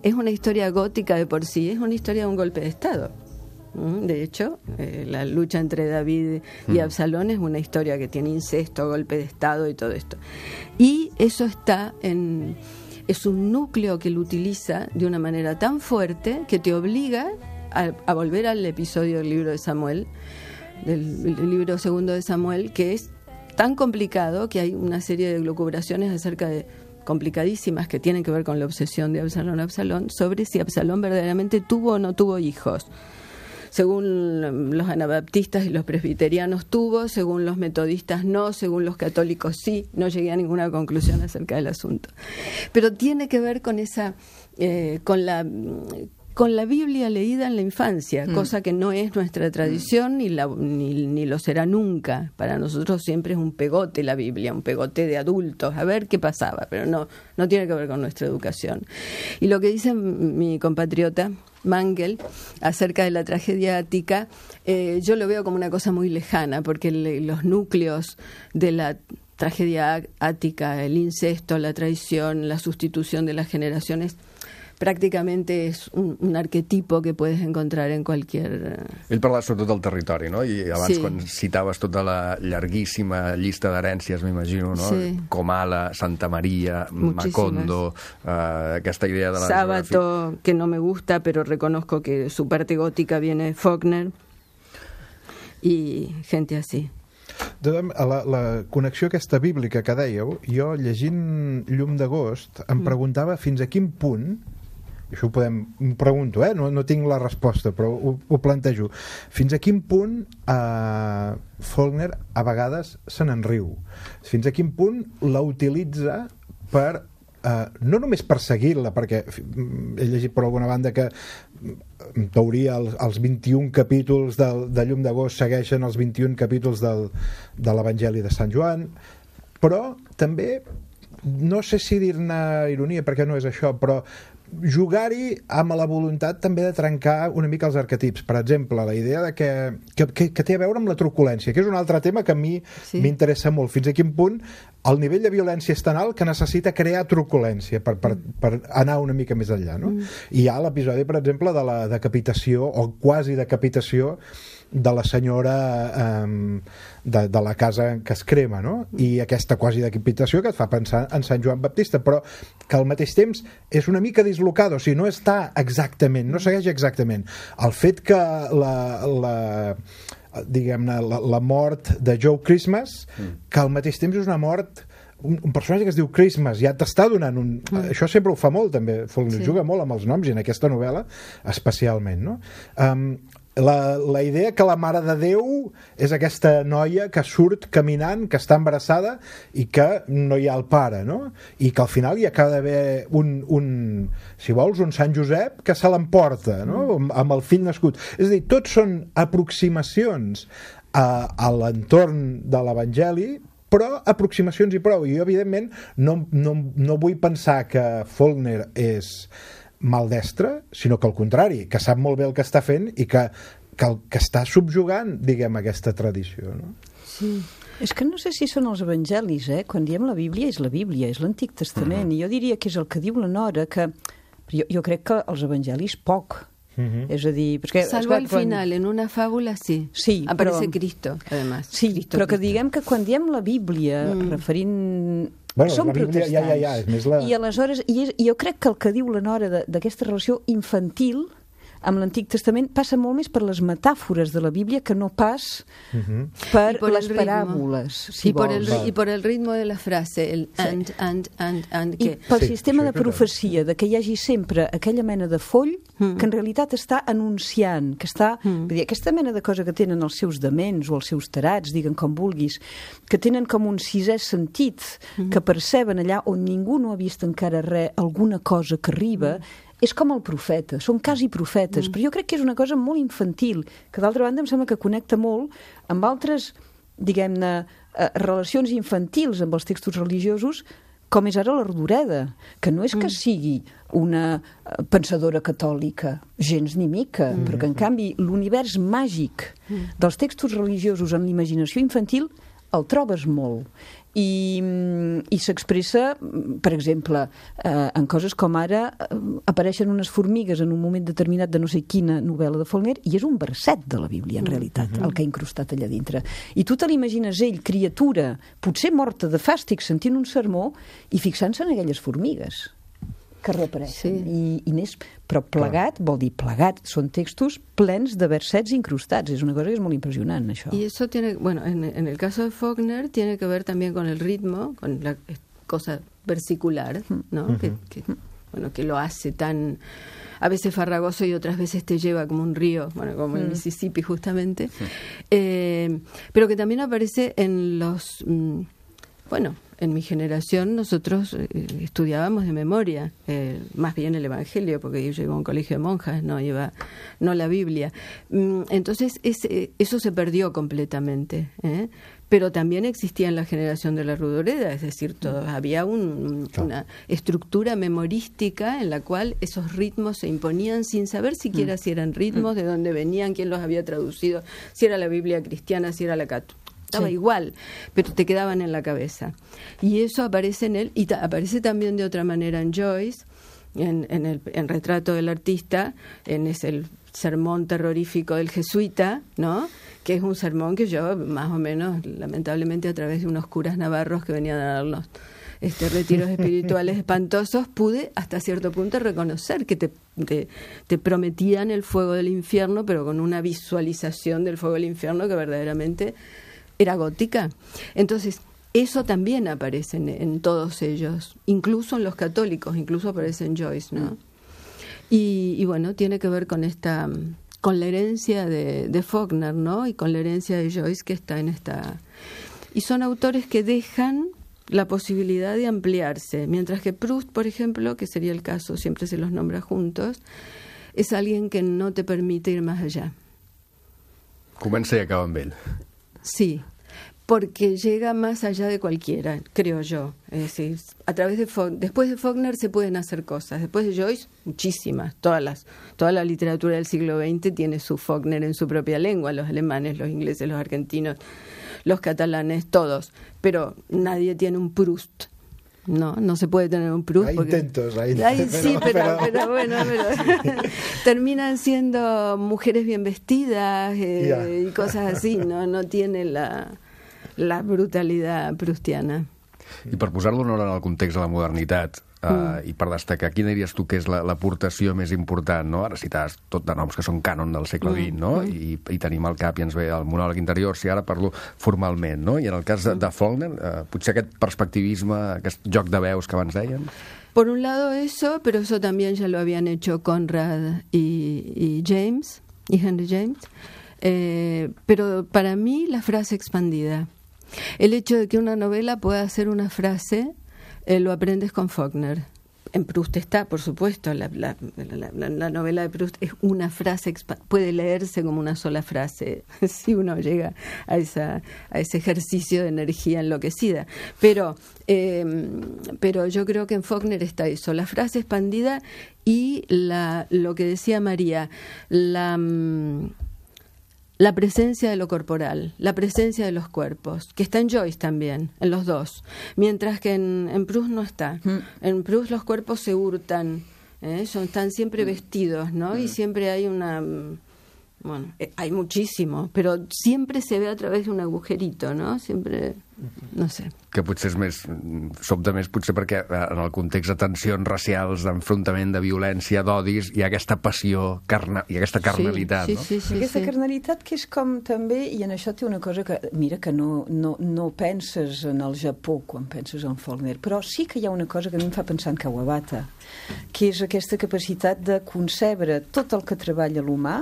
es una historia gótica de por sí, es una historia de un golpe de Estado. De hecho, la lucha entre David y Absalón es una historia que tiene incesto, golpe de Estado y todo esto. Y eso es un núcleo que lo utiliza de una manera tan fuerte que te obliga a volver al episodio del libro de Samuel, del libro segundo de Samuel, que es tan complicado que hay una serie de lucubraciones acerca de complicadísimas que tienen que ver con la obsesión de Absalón sobre si Absalón verdaderamente tuvo o no tuvo hijos. Según los anabaptistas y los presbiterianos tuvo, según los metodistas no, según los católicos sí. No llegué a ninguna conclusión acerca del asunto. Pero tiene que ver con con la Biblia leída en la infancia, cosa que no es nuestra tradición ni lo será nunca. Para nosotros siempre es un pegote la Biblia, un pegote de adultos, a ver qué pasaba, pero no tiene que ver con nuestra educación. Y lo que dice mi compatriota Mangel acerca de la tragedia ática, yo lo veo como una cosa muy lejana, porque los núcleos de la tragedia ática, el incesto, la traición, la sustitución de las generaciones, pràcticamente és un arquetipo que puedes encontrar en cualquier... Ell parlava sobretot del territori, no? I abans, Sí. quan citaves tota la llarguíssima llista d'herències, m'imagino, no? Sí. Comala, Santa Maria, Muchísimas. Macondo, aquesta idea de la Sábato, que no me gusta, pero reconozco que su parte gótica viene de Faulkner, y gente así. La connexió aquesta bíblica que dèieu, jo llegint Llum d'agost em preguntava fins a quin punt, i això m'ho pregunto, no tinc la resposta, però ho plantejo, fins a quin punt Faulkner a vegades se n'enriu, fins a quin punt la utilitza per no només perseguir-la, perquè he llegit per alguna banda que en teoria els 21 capítols de Llum d'agost segueixen els 21 capítols de l'Evangeli de Sant Joan, però també, no sé si dir-ne ironia, perquè no és això, però jugar-hi amb la voluntat també de trencar una mica els arquetips. Per exemple, la idea de que té a veure amb la truculència, que és un altre tema que a mi m'interessa molt. Fins a quin punt el nivell de violència és tan alt que necessita crear truculència per anar una mica més enllà, no? I hi ha l'episodi, per exemple, de la decapitació o quasi decapitació de la senyora de la casa que es crema, no? I aquesta quasi decapitació que et fa pensar en Sant Joan Baptista, però que al mateix temps és una mica dislocada, o sigui, no està exactament, no segueix exactament. El fet que diguem-ne, la mort de Joe Christmas, que al mateix temps és una mort, un personatge que es diu Christmas, ja t'està donant això sempre ho fa molt, també, Faulkner juga molt amb els noms, i en aquesta novel·la especialment, no? La idea que la Mare de Déu és aquesta noia que surt caminant, que està embarassada i que no hi ha el pare, no? I que al final hi acaba d'haver si vols, un Sant Josep que se l'emporta, no? Amb el fill nascut. És a dir, tots són aproximacions a l'entorn de l'Evangeli, però aproximacions i prou. I jo, evidentment, no vull pensar que Faulkner és maldestre, sinó que al contrari, que sap molt bé el que està fent i que està subjugant, diguem, aquesta tradició, no? Sí. És que no sé si són els evangelis, quan diem la Bíblia, és l'Antic Testament, i jo diria que és el que diu la Nora, que jo crec que els evangelis poc. És a dir, perquè, salvo al final, en una fàbula sí aparece Cristo, además. Sí, però que diguem que quan diem la Bíblia referint... Som protestants. És més la... I aleshores, jo crec que el que diu la Nora d'aquesta relació infantil amb l'Antic Testament passa molt més per les metàfores de la Bíblia que no pas per les paràboles, si vols. I per el ritme de la frase, el and. I pel sistema de profecia, de que hi hagi sempre aquella mena de foll que en realitat està anunciant, que està... Vull dir, aquesta mena de cosa que tenen els seus dements o els seus tarats, diguen com vulguis, que tenen com un sisè sentit, que perceben allà on ningú no ha vist encara res, alguna cosa que arriba, és com el profeta, són quasi profetes, però jo crec que és una cosa molt infantil, que d'altra banda em sembla que connecta molt amb altres, diguem-ne, relacions infantils amb els textos religiosos, com és ara la Rodoreda, que no és que sigui una pensadora catòlica, gens ni mica, però que en canvi l'univers màgic dels textos religiosos en l'imaginació infantil el trobes molt. I s'expressa, per exemple, en coses com ara apareixen unes formigues en un moment determinat de no sé quina novel·la de Faulkner i és un verset de la Bíblia, en realitat, el que ha incrustat allà dintre. I tu te l'imagines ell, criatura, potser morta de fàstic, sentint un sermó i fixant-se en aquelles formigues que reapareixen. Però plegat, vol dir plegat, són textos plens de versets incrustats. És una cosa que és molt impressionant, això. Y eso tiene, bueno, en el caso de Faulkner tiene que ver también con el ritmo, con la cosa versicular, ¿no? Que lo hace tan a veces farragoso y otras veces te lleva como un río, bueno, como el Mississippi justamente, pero que también aparece en los bueno, en mi generación nosotros estudiábamos de memoria, más bien el Evangelio, porque yo iba a un colegio de monjas, no la Biblia. Entonces eso se perdió completamente, pero también existía en la generación de la Rudoreda, es decir, había una estructura memorística en la cual esos ritmos se imponían sin saber siquiera si eran ritmos, de dónde venían, quién los había traducido, si era la Biblia cristiana, si era la católica. Estaba igual, pero te quedaban en la cabeza. Y eso aparece en él, y aparece también de otra manera en Joyce, en Retrato del Artista, es el sermón terrorífico del jesuita, ¿no? Que es un sermón que yo, más o menos, lamentablemente, a través de unos curas navarros que venían a darnos retiros espirituales espantosos, pude hasta cierto punto reconocer que te prometían el fuego del infierno, pero con una visualización del fuego del infierno que verdaderamente era gótica. Entonces, eso también aparece en todos ellos, incluso en los católicos, incluso aparece en Joyce, ¿no? Y bueno, tiene que ver con la herencia de Faulkner, ¿no? Y con la herencia de Joyce que está en esta. Y son autores que dejan la posibilidad de ampliarse, mientras que Proust, por ejemplo, que sería el caso, siempre se los nombra juntos, es alguien que no te permite ir más allá. Comença i acaba amb ell. Sí, porque llega más allá de cualquiera, creo yo. Es decir, después de Faulkner se pueden hacer cosas. Después de Joyce, muchísimas. Toda la literatura del siglo XX tiene su Faulkner en su propia lengua. Los alemanes, los ingleses, los argentinos, los catalanes, todos. Pero nadie tiene un Proust. No se puede tener un Proust. Hay intentos. Sí, pero bueno, terminan siendo mujeres bien vestidas y cosas así. No tiene la brutalidad proustiana. I per posar-lo en el context de la modernitat, i per destacar, quina diries tu que és l'aportació més important, no? Ara citaves tot de noms que són cànon del segle XX, no? I tenim al cap i ens ve el monòleg interior, si ara parlo formalment, no? I en el cas de Faulkner, potser aquest perspectivisme, aquest joc de veus que abans deien? Por un lado eso, pero eso también ya lo habían hecho Conrad y James, y Henry James. Pero para mí la frase expandida. El hecho de que una novela pueda ser una frase, lo aprendes con Faulkner. En Proust está, por supuesto, la novela de Proust es una frase, puede leerse como una sola frase, si uno llega a ese ejercicio de energía enloquecida. Pero yo creo que en Faulkner está eso, la frase expandida y lo que decía María, la presencia de lo corporal, la presencia de los cuerpos, que está en Joyce también, en los dos, mientras que en Proust no está. En Proust los cuerpos se hurtan, están siempre vestidos, ¿no? Y siempre hay hay muchísimo, pero siempre se ve a través de un agujerito, ¿no? Siempre, no sé. Que potser sobta més potser perquè en el context de tensions racials, d'enfrontament, de violència, d'odis, hi ha aquesta passió i aquesta carnalitat, no? Sí. Aquesta carnalitat que és com també, i en això té una cosa que, mira, que no penses en el Japó quan penses en Faulkner, però sí que hi ha una cosa que a mi em fa pensar en Kawabata, que és aquesta capacitat de concebre tot el que treballa l'humà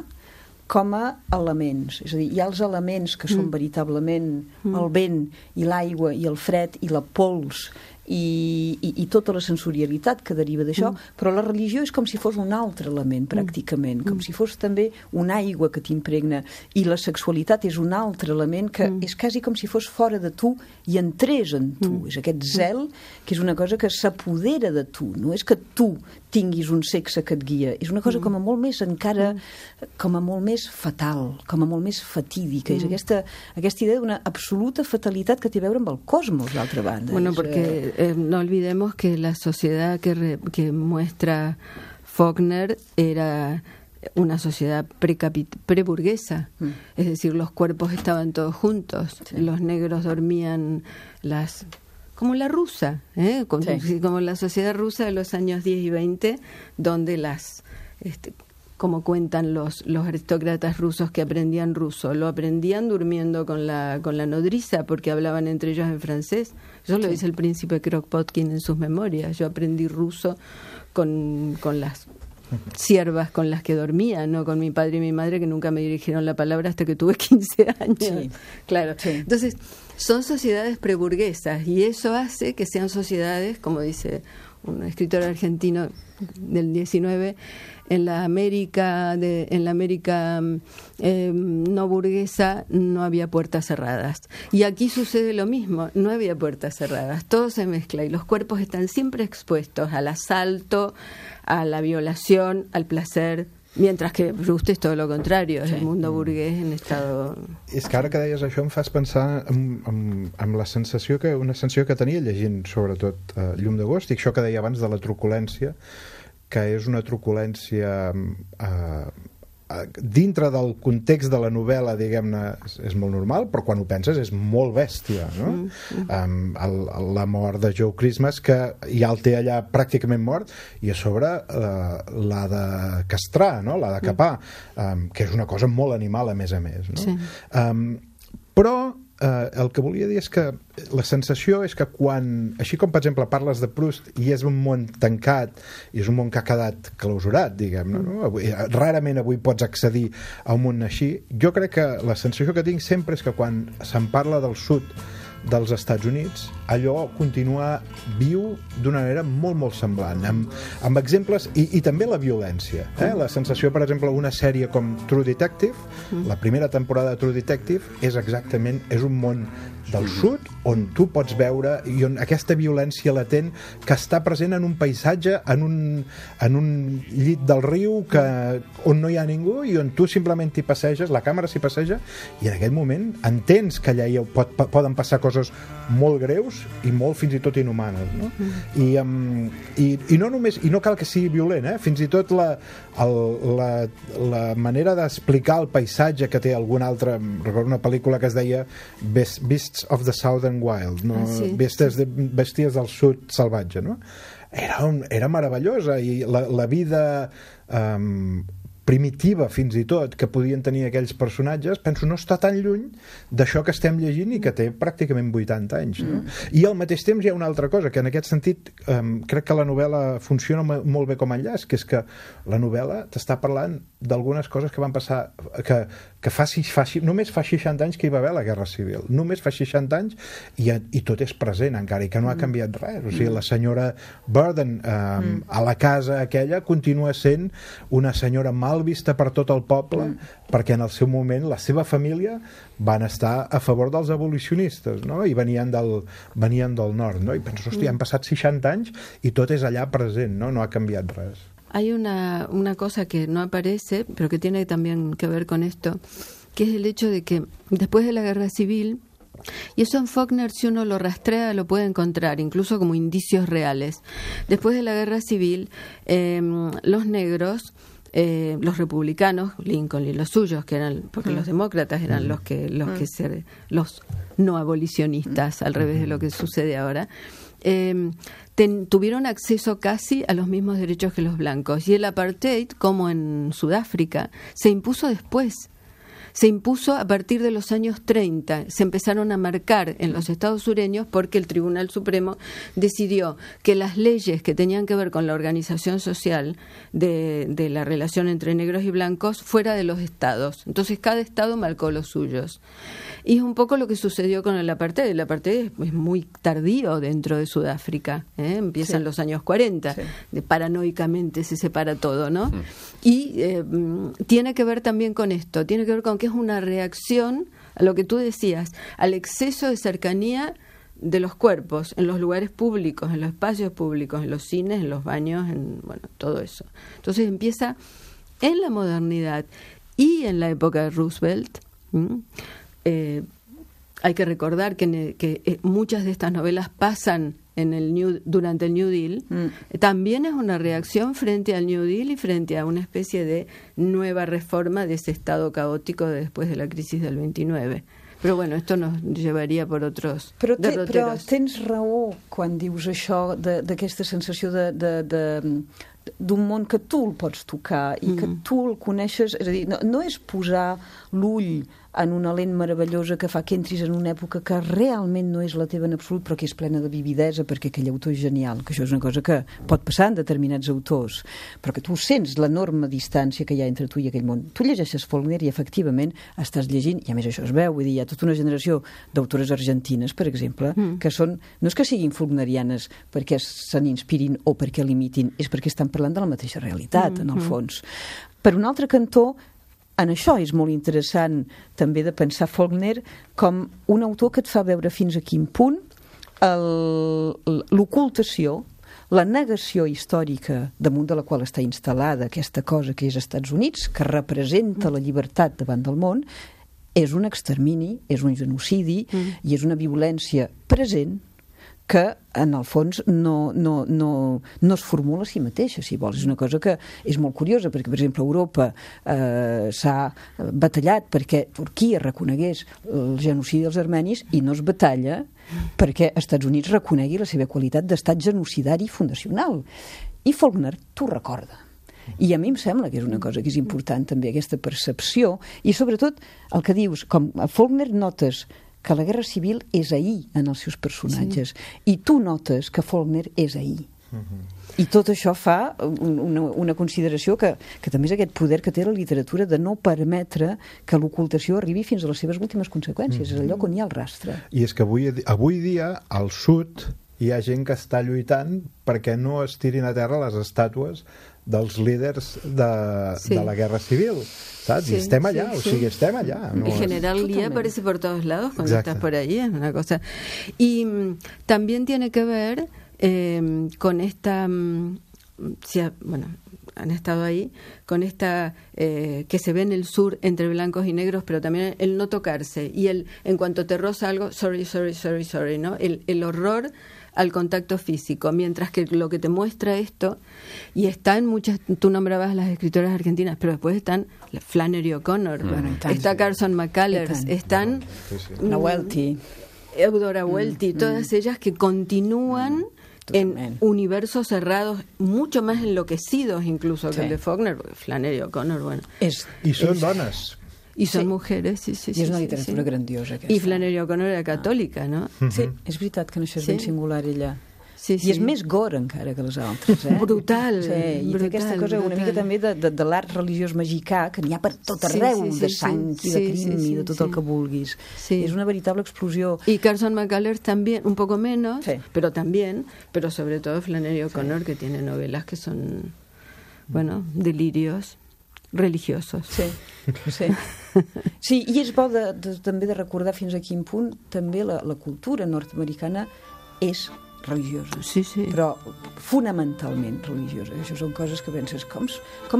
com a elements. És a dir, hi ha els elements que són veritablement el vent i l'aigua i el fred i la pols i tota la sensorialitat que deriva d'això, però la religió és com si fos un altre element, pràcticament, com si fos també una aigua que t'impregna, i la sexualitat és un altre element que és quasi com si fos fora de tu i entrés en tu. És aquest zel que és una cosa que s'apodera de tu, no és que tu tinguis un sexe que et guia, és una cosa com a molt més encara, com a molt més fatal, com a molt més fatídica, és aquesta idea d'una absoluta fatalitat que té a veure amb el cosmos, d'altra banda. Bueno, porque no olvidemos que la sociedad que muestra Faulkner era una sociedad preburguesa, es decir, los cuerpos estaban todos juntos, los negros dormían como la rusa, como la sociedad rusa de los años 10 y 20, donde como cuentan los aristócratas rusos que aprendían ruso, lo aprendían durmiendo con la nodriza porque hablaban entre ellos en francés. Eso lo dice el príncipe Kropotkin en sus memorias. Yo aprendí ruso con las siervas con las que dormía, no con mi padre y mi madre, que nunca me dirigieron la palabra hasta que tuve 15 años. Sí. Claro. Sí. Entonces, son sociedades preburguesas y eso hace que sean sociedades, como dice un escritor argentino del 19, en la América no burguesa no había puertas cerradas. Y aquí sucede lo mismo, no había puertas cerradas, todo se mezcla y los cuerpos están siempre expuestos al asalto, a la violación, al placer, mientras que Proust és tot el contrari, és el mundo burguès en estado... És que ara que deies això em fas pensar en la sensació una sensació que tenia llegint sobretot Llum d'agost, i això que deia abans de la truculència, que és una truculència dintre del context de la novel·la, diguem-ne, és molt normal, però quan ho penses és molt bèstia, no? La mort de Joe Christmas, que ja el té allà pràcticament mort, i a sobre l'ha de castrar, no? L'ha de capar, que és una cosa molt animal, a més, no? Sí. Però el que volia dir és que la sensació és que quan, així com per exemple parles de Proust i és un món tancat i és un món que ha quedat clausurat, diguem-ne, no? Rarament avui pots accedir a un món així, jo crec que la sensació que tinc sempre és que quan se'n parla del sud dels Estats Units, allò continua viu d'una manera molt, molt semblant, amb exemples, i també la violència. La sensació, per exemple, una sèrie com True Detective, la primera temporada de True Detective, és un món del sud on tu pots veure i on aquesta violència latent que està present en un paisatge, en un llit del riu on no hi ha ningú i on tu simplement t'hi passeges, la càmera s'hi passeja, i en aquest moment entens que allà poden passar coses molt greus i molt fins i tot inhumanes, no? I no només, i no cal que sigui violent, fins i tot la manera d'explicar el paisatge que té algun altre, recordo una pel·lícula que es deia Beasts of the Southern Wild, no? Bèsties del sud salvatge, no? Era meravellosa, i la vida primitiva, fins i tot, que podien tenir aquells personatges, penso, no està tan lluny d'això que estem llegint i que té pràcticament 80 anys, no? I al mateix temps hi ha una altra cosa, que en aquest sentit crec que la novel·la funciona molt bé com a enllaç, que és que la novel·la t'està parlant d'algunes coses que van passar, que només fa 60 anys que hi va haver la Guerra Civil, només fa 60 anys i tot és present encara, i que no ha canviat res. O sigui, la senyora Burden a la casa aquella continua sent una senyora mal vista per tot el poble, perquè en el seu moment la seva família van estar a favor dels abolicionistes, no? I venien del nord, no? I penso, hòstia, han passat 60 anys i tot és allà present, no? No ha canviat res. Hay una cosa que no aparece, pero que tiene también que ver con esto, que es el hecho de que después de la Guerra Civil, y eso en Faulkner, si uno lo rastrea, lo puede encontrar, incluso como indicios reales. Después de la Guerra Civil, los negros, los republicanos, Lincoln y los suyos, que eran, porque los demócratas eran los no abolicionistas, al revés de lo que sucede ahora, tuvieron acceso casi a los mismos derechos que los blancos, y el apartheid, como en Sudáfrica, se impuso después. Se impuso a partir de los años 30, se empezaron a marcar en los estados sureños porque el Tribunal Supremo decidió que las leyes que tenían que ver con la organización social de la relación entre negros y blancos fuera de los estados. Entonces cada estado marcó los suyos. Y es un poco lo que sucedió con el apartheid. El apartheid es muy tardío dentro de Sudáfrica, empiezan los años 40, paranoicamente se separa todo, ¿no? Y tiene que ver también con esto, tiene que ver con que es una reacción a lo que tú decías, al exceso de cercanía de los cuerpos en los lugares públicos, en los espacios públicos, en los cines, en los baños, bueno, todo eso. Entonces empieza en la modernidad y en la época de Roosevelt. Hay que recordar que muchas de estas novelas pasan durante el New Deal. También es una reacción frente al New Deal y frente a una especie de nueva reforma de ese estado caótico después de la crisis del 29. Però bueno, esto nos llevaria per otros derroteros. Però tens raó quan dius això d'aquesta sensació d'un món que tu el pots tocar i que tu el coneixes, és a dir, no és posar l'ull en una lent meravellosa que fa que entris en una època que realment no és la teva en absolut, però que és plena de vividesa, perquè aquell autor és genial, que això és una cosa que pot passar en determinats autors, però que tu sents l'enorme distància que hi ha entre tu i aquell món. Tu llegeixes Faulkner i efectivament estàs llegint, i a més això es veu, vull dir, hi ha tota una generació d'autores argentines, per exemple, que són, no és que siguin faulknerianes perquè se n'inspirin o perquè l'imitin, és perquè estan parlant de la mateixa realitat, en el fons. Per un altre cantó, en això és molt interessant també de pensar Faulkner com un autor que et fa veure fins a quin punt l'ocultació, la negació històrica damunt de la qual està instal·lada aquesta cosa que és Estats Units, que representa la llibertat davant del món, és un extermini, és un genocidi i és una violència present que en el fons no es formula a si mateixa, si vols. És una cosa que és molt curiosa, perquè, per exemple, Europa s'ha batallat perquè Turquia reconegués el genocidi dels armenis i no es batalla perquè Estats Units reconegui la seva qualitat d'estat genocidari fundacional. I Faulkner t'ho recorda. I a mi em sembla que és una cosa que és important també, aquesta percepció, i sobretot el que dius, com a Faulkner notes que la Guerra Civil és ahir en els seus personatges, i tu notes que Faulkner és ahir. I tot això fa una consideració que també és aquest poder que té la literatura de no permetre que l'ocultació arribi fins a les seves últimes conseqüències, és el lloc on hi ha el rastre. I és que avui dia al sud hi ha gent que està lluitant perquè no es tirin a terra les estàtues dels líders de la Guerra Civil, ¿sabes? Sí, y estem allá, sí, o sigui, estem allá. No, el general Lee aparece por todos lados cuando Exacto. estás por ahí, es una cosa. Y también tiene que ver con esta, bueno, han estado ahí, con esta que se ve en el sur entre blancos y negros, pero también el no tocarse, y en cuanto te roza algo, sorry, ¿no? El horror al contacto físico, mientras que lo que te muestra esto, y está en muchas, tú nombrabas a las escritoras argentinas, pero después están Flannery O'Connor, está Carson McCullers, están Welty, Eudora Welty, todas ellas que continúan en universos cerrados, mucho más enloquecidos incluso que el de Faulkner, porque Flannery O'Connor, bueno. I són dones. Y son mujeres, sí. I és una literatura grandiosa, aquesta. I Flannery O'Connor era catòlica, no? Sí, és veritat que no, això és ben singular, ella. Sí. I és més gore encara que les altres, Brutal. I té aquesta cosa una mica també de l'art religiós mexicà, que n'hi ha per tot arreu, de sang i de crim i de tot el que vulguis. És una veritable explosió. Y Carson McCullers también, un poco menos, pero sobre todo Flannery O'Connor, que tiene novelas que son, bueno, delirios religiosos. Sí, i és bo també de recordar fins a quin punt també la cultura nord-americana és religiosa, però fonamentalment religiosa. Això són coses que penses, com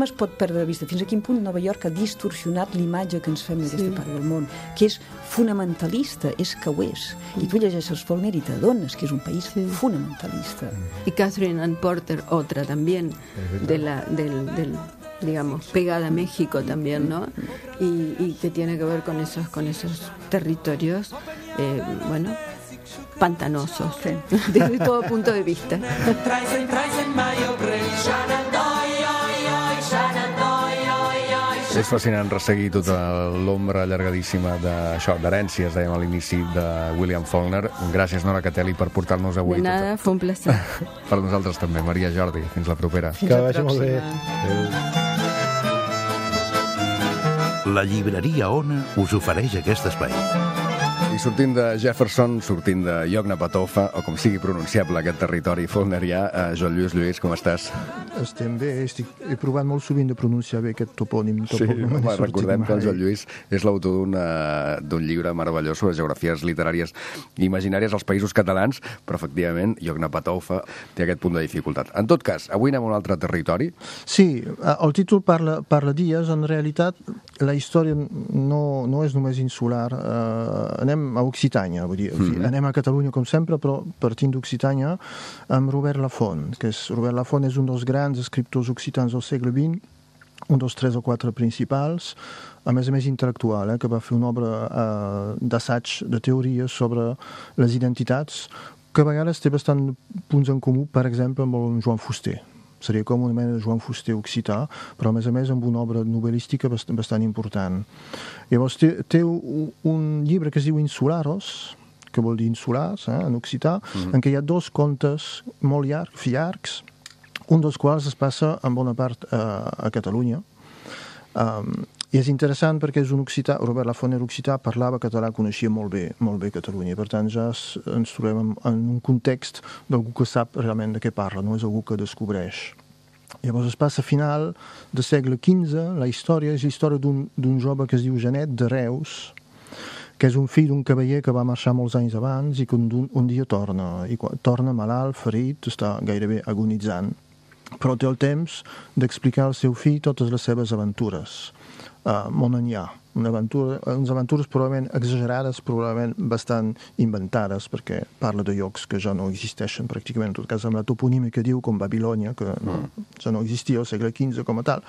es pot perdre de vista? Fins a quin punt Nova York ha distorsionat l'imatge que ens fem d'aquesta part del món, que és fonamentalista, és que ho és. I tu llegeixes Faulkner i t'adones que és un país fonamentalista. Y Catherine Ann Porter, otra también, del digamos, pegada a México también, ¿no? Y que tiene que ver con esos territorios, bueno, pantanosos, desde todo punto de vista. És fascinant resseguir tota l'ombra allargadíssima d'herències, dèiem a l'inici, de William Faulkner. Gràcies, Nora Catelli, per portar-nos avui. De nada, fue un placer. Per nosaltres també. Maria Jordi, fins la propera. Que vagi molt bé. La llibreria Ona us ofereix aquest espai. I sortint de Jefferson, sortint de Yoknapatawpha, o com sigui pronunciable aquest territori faulknerià, Joan Lluís, com estàs? Estem bé, he provat molt sovint de pronunciar bé aquest topònim. Sí, recordem que el Joan Lluís és l'autor d'un llibre meravellós sobre geografies literàries imaginàries als països catalans, però efectivament Yoknapatawpha té aquest punt de dificultat. En tot cas, avui anem a un altre territori. Sí, el títol parla d'illes, en realitat la història no és només insular, anem a Occitània, vull dir, anem a Catalunya com sempre, però partint d'Occitània amb Robert Laffont, Robert Laffont és un dels grans escriptors occitans del segle XX, un dels 3 o 4 principals, a més intel·lectual, que va fer una obra d'assaig, de teoria sobre les identitats, que a vegades té bastant punts en comú, per exemple, amb el Joan Fuster. seria com una mena de Joan Fuster occità, però a més amb una obra novel·lística bastant important. Llavors té un llibre que es diu Insularos, que vol dir insulars, en occità, en què hi ha 2 contes molt llargs, un dels quals es passa en bona part a Catalunya. I és interessant perquè és un occità, Robert Lafont era occità, parlava català, coneixia molt bé Catalunya, per tant ja ens trobem en un context d'algú que sap realment de què parla, no és algú que descobreix. Llavors es passa a final del segle XV, la història és la història d'un jove que es diu Genet de Reus, que és un fill d'un cavaller que va marxar molts anys abans i que un dia torna, i torna malalt, ferit, està gairebé agonitzant, però té el temps d'explicar al seu fill totes les seves aventures. Món enllà, unes aventures probablement exagerades, probablement bastant inventades, perquè parla de llocs que ja no existeixen pràcticament, en tot cas amb la toponímia que diu, com Babilònia, que ja no existia al segle XV com a tal.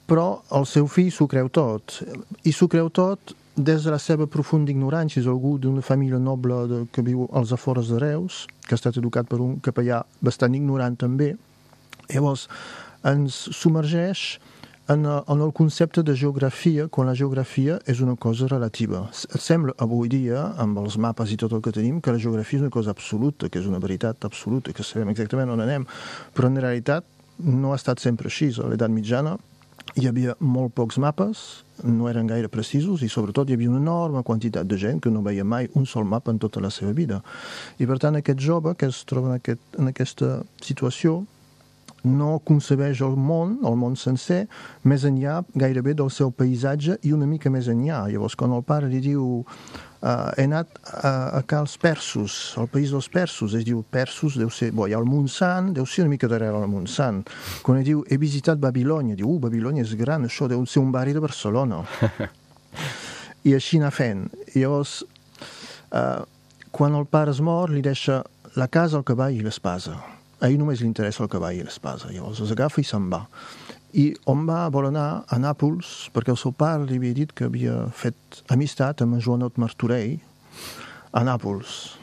Però el seu fill s'ho creu tot, i s'ho creu tot des de la seva profunda ignorància. És algú d'una família noble que viu als afores de Reus, que ha estat educat per un capellà bastant ignorant també. Llavors ens submergeix en el concepte de geografia, quan la geografia és una cosa relativa. Sembla avui dia, amb els mapes i tot el que tenim, que la geografia és una cosa absoluta, que és una veritat absoluta, que sabem exactament on anem, però en realitat no ha estat sempre així. A l'edat mitjana hi havia molt pocs mapes, no eren gaire precisos, i sobretot hi havia una enorme quantitat de gent que no veia mai un sol mapa en tota la seva vida. I per tant aquest jove que es troba en aquesta situació no concebeix el món sencer, més enllà gairebé del seu paisatge i una mica més enllà. Llavors quan el pare li diu he anat a als persos, al país dels persos, es diu persos, deu ser, hi ha el Montsant, deu ser una mica darrere el Montsant. Quan ell diu he visitat Babilònia, diu Babilònia és gran, això deu ser un barri de Barcelona. I així anar fent. Llavors, quan el pare es mor, li deixa la casa, el cavall i l'espasa. A ell només li interessa el cavall i l'espasa. Llavors els agafa i se'n va. I on va? Vol anar a Nàpols, perquè el seu pare li havia dit que havia fet amistat amb Joanot Martorell a Nàpols.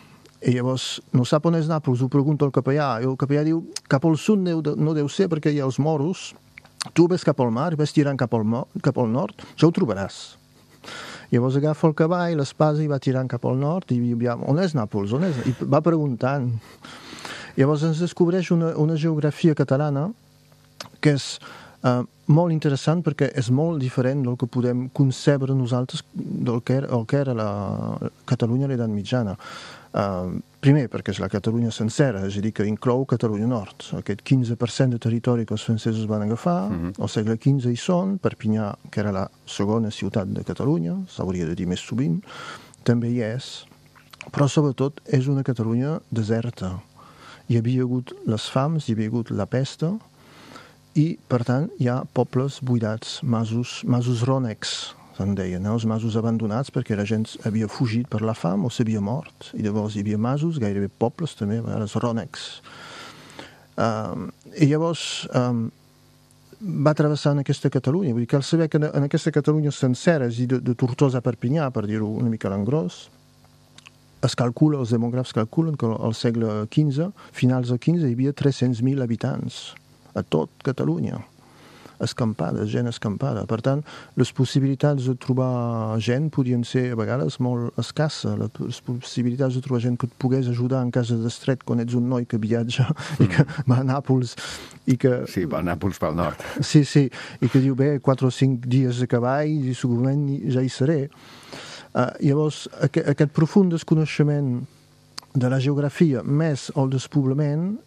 I llavors no sap on és Nàpols, ho pregunta el capellà, i el capellà diu cap al sud no deu ser perquè hi ha els moros, tu ves cap al mar i ves tirant cap al nord, ja ho trobaràs. Llavors agafa el cavall, l'espasa i va tirant cap al nord i on és Nàpols? I va preguntant. Llavors ens descobreix una geografia catalana que és molt interessant perquè és molt diferent del que podem concebre nosaltres del que era la Catalunya a l'edat mitjana. Primer, perquè és la Catalunya sencera, és a dir, que inclou Catalunya Nord. Aquest 15% de territori que els francesos van agafar, al segle XV hi són, Perpinyà, que era la segona ciutat de Catalunya, s'hauria de dir més sovint, també hi és, però sobretot és una Catalunya deserta. Hi havia hagut les fams, hi havia hagut la pesta, i, per tant, hi ha pobles buidats, masos rònecs, se'n deien, els masos abandonats, perquè la gent havia fugit per la fam o s'havia mort. I llavors hi havia masos, gairebé pobles també, a vegades rònecs. I llavors va travessant aquesta Catalunya. Vull dir, cal saber que en aquesta Catalunya sencera, és a dir, de Tortosa a Perpinyà, per dir-ho una mica a l'engròs, es calcula, els demògrafs calculen que al segle XV, finals del XV, hi havia 300.000 habitants a tot Catalunya, escampada, gent escampada. Per tant, les possibilitats de trobar gent podien ser a vegades molt escasses. Les possibilitats de trobar gent que et pogués ajudar en cas d'estret quan ets un noi que viatja i que va a Nàpols i que... Sí, va a Nàpols pel nord. Sí, i que diu, 4 o 5 dies de cavall i segurament ja hi seré. Llavors, aquest profund desconeixement de la geografia més el despoblament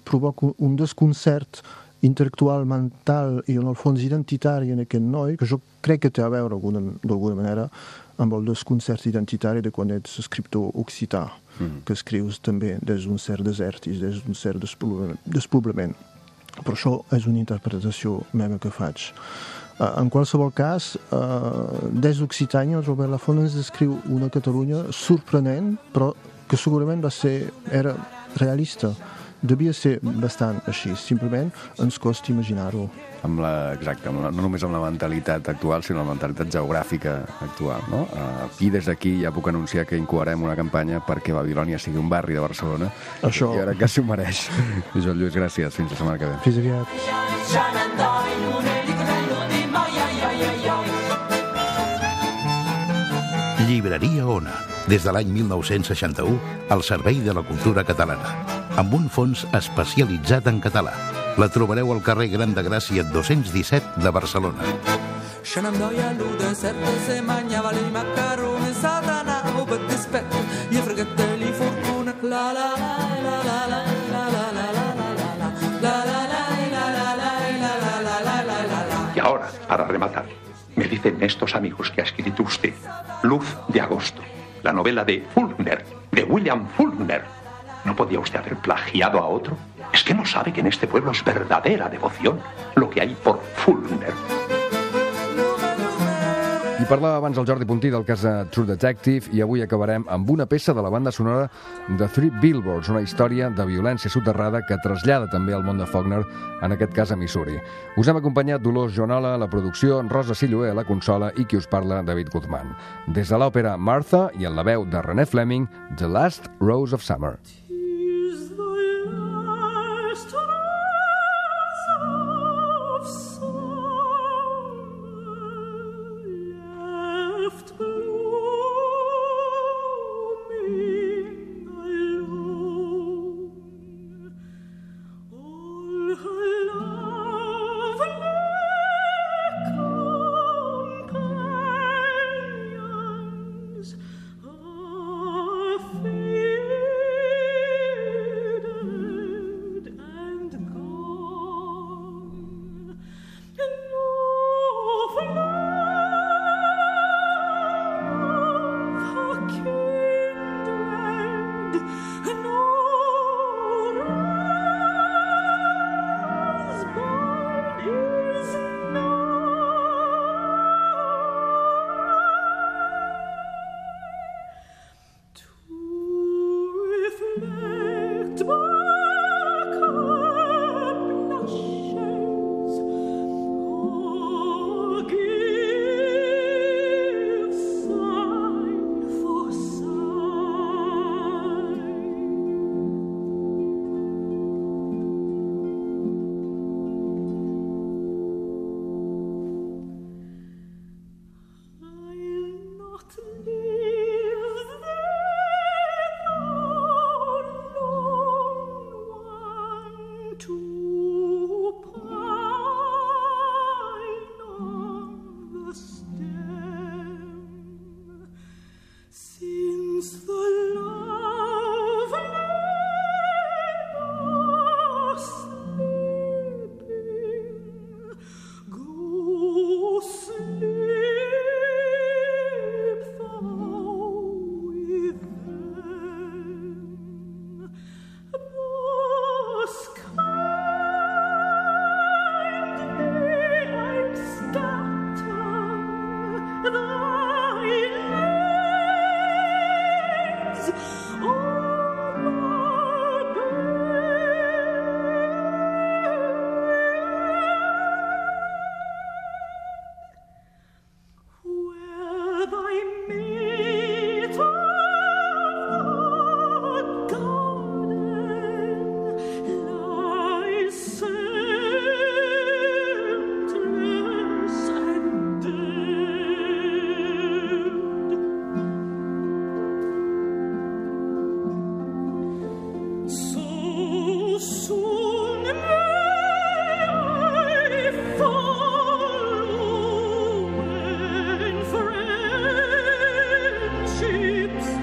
provoca un desconcert intel·lectual, mental i en el fons identitari en aquest noi, que jo crec que té a veure d'alguna manera amb el desconcert identitari de quan ets escriptor occità, que escrius també des d'un cert desert i des d'un cert despoblament. Però això és una interpretació meva que faig. En qualsevol cas, des d'Occitània, Robert Lafont ens descriu una Catalunya sorprenent, però que segurament era realista. devia ser bastant així, simplement ens costa imaginar-ho. Exacte, no només amb la mentalitat actual, sinó la mentalitat geogràfica actual, no? I des d'aquí ja puc anunciar que incoarem una campanya perquè Babilònia sigui un barri de Barcelona. Això... I ara que s'ho mereix. Joan Lluís, gràcies. Fins la setmana que ve. Fins aviat. Llibreria Ona, des de l'any 1961, al servei de la cultura catalana, amb un fons especialitzat en català. La trobareu al carrer Gran de Gràcia 217 de Barcelona. Shenandoah deserto se mangiava i macaroni, satanavo per dispetto, gli fratelli fortuna, la la la la la la la la la Y ahora, para rematar, me dicen estos amigos que ha escrito usted Luz de Agosto, la novela de Faulkner, de William Faulkner. ¿No podía usted haber plagiado a otro? Es que no sabe que en este pueblo es verdadera devoción lo que hay por Faulkner. I parlava abans el Jordi Puntí del cas de True Detective i avui acabarem amb una peça de la banda sonora de Three Billboards, una història de violència soterrada que trasllada també al món de Faulkner, en aquest cas a Missouri. Us hem acompanyat Dolors Joanola a la producció, Rosa Silloé a la consola i qui us parla, David Guzmán. Des de l'òpera Martha i en la veu de René Fleming, The Last Rose of Summer.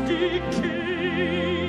Decay.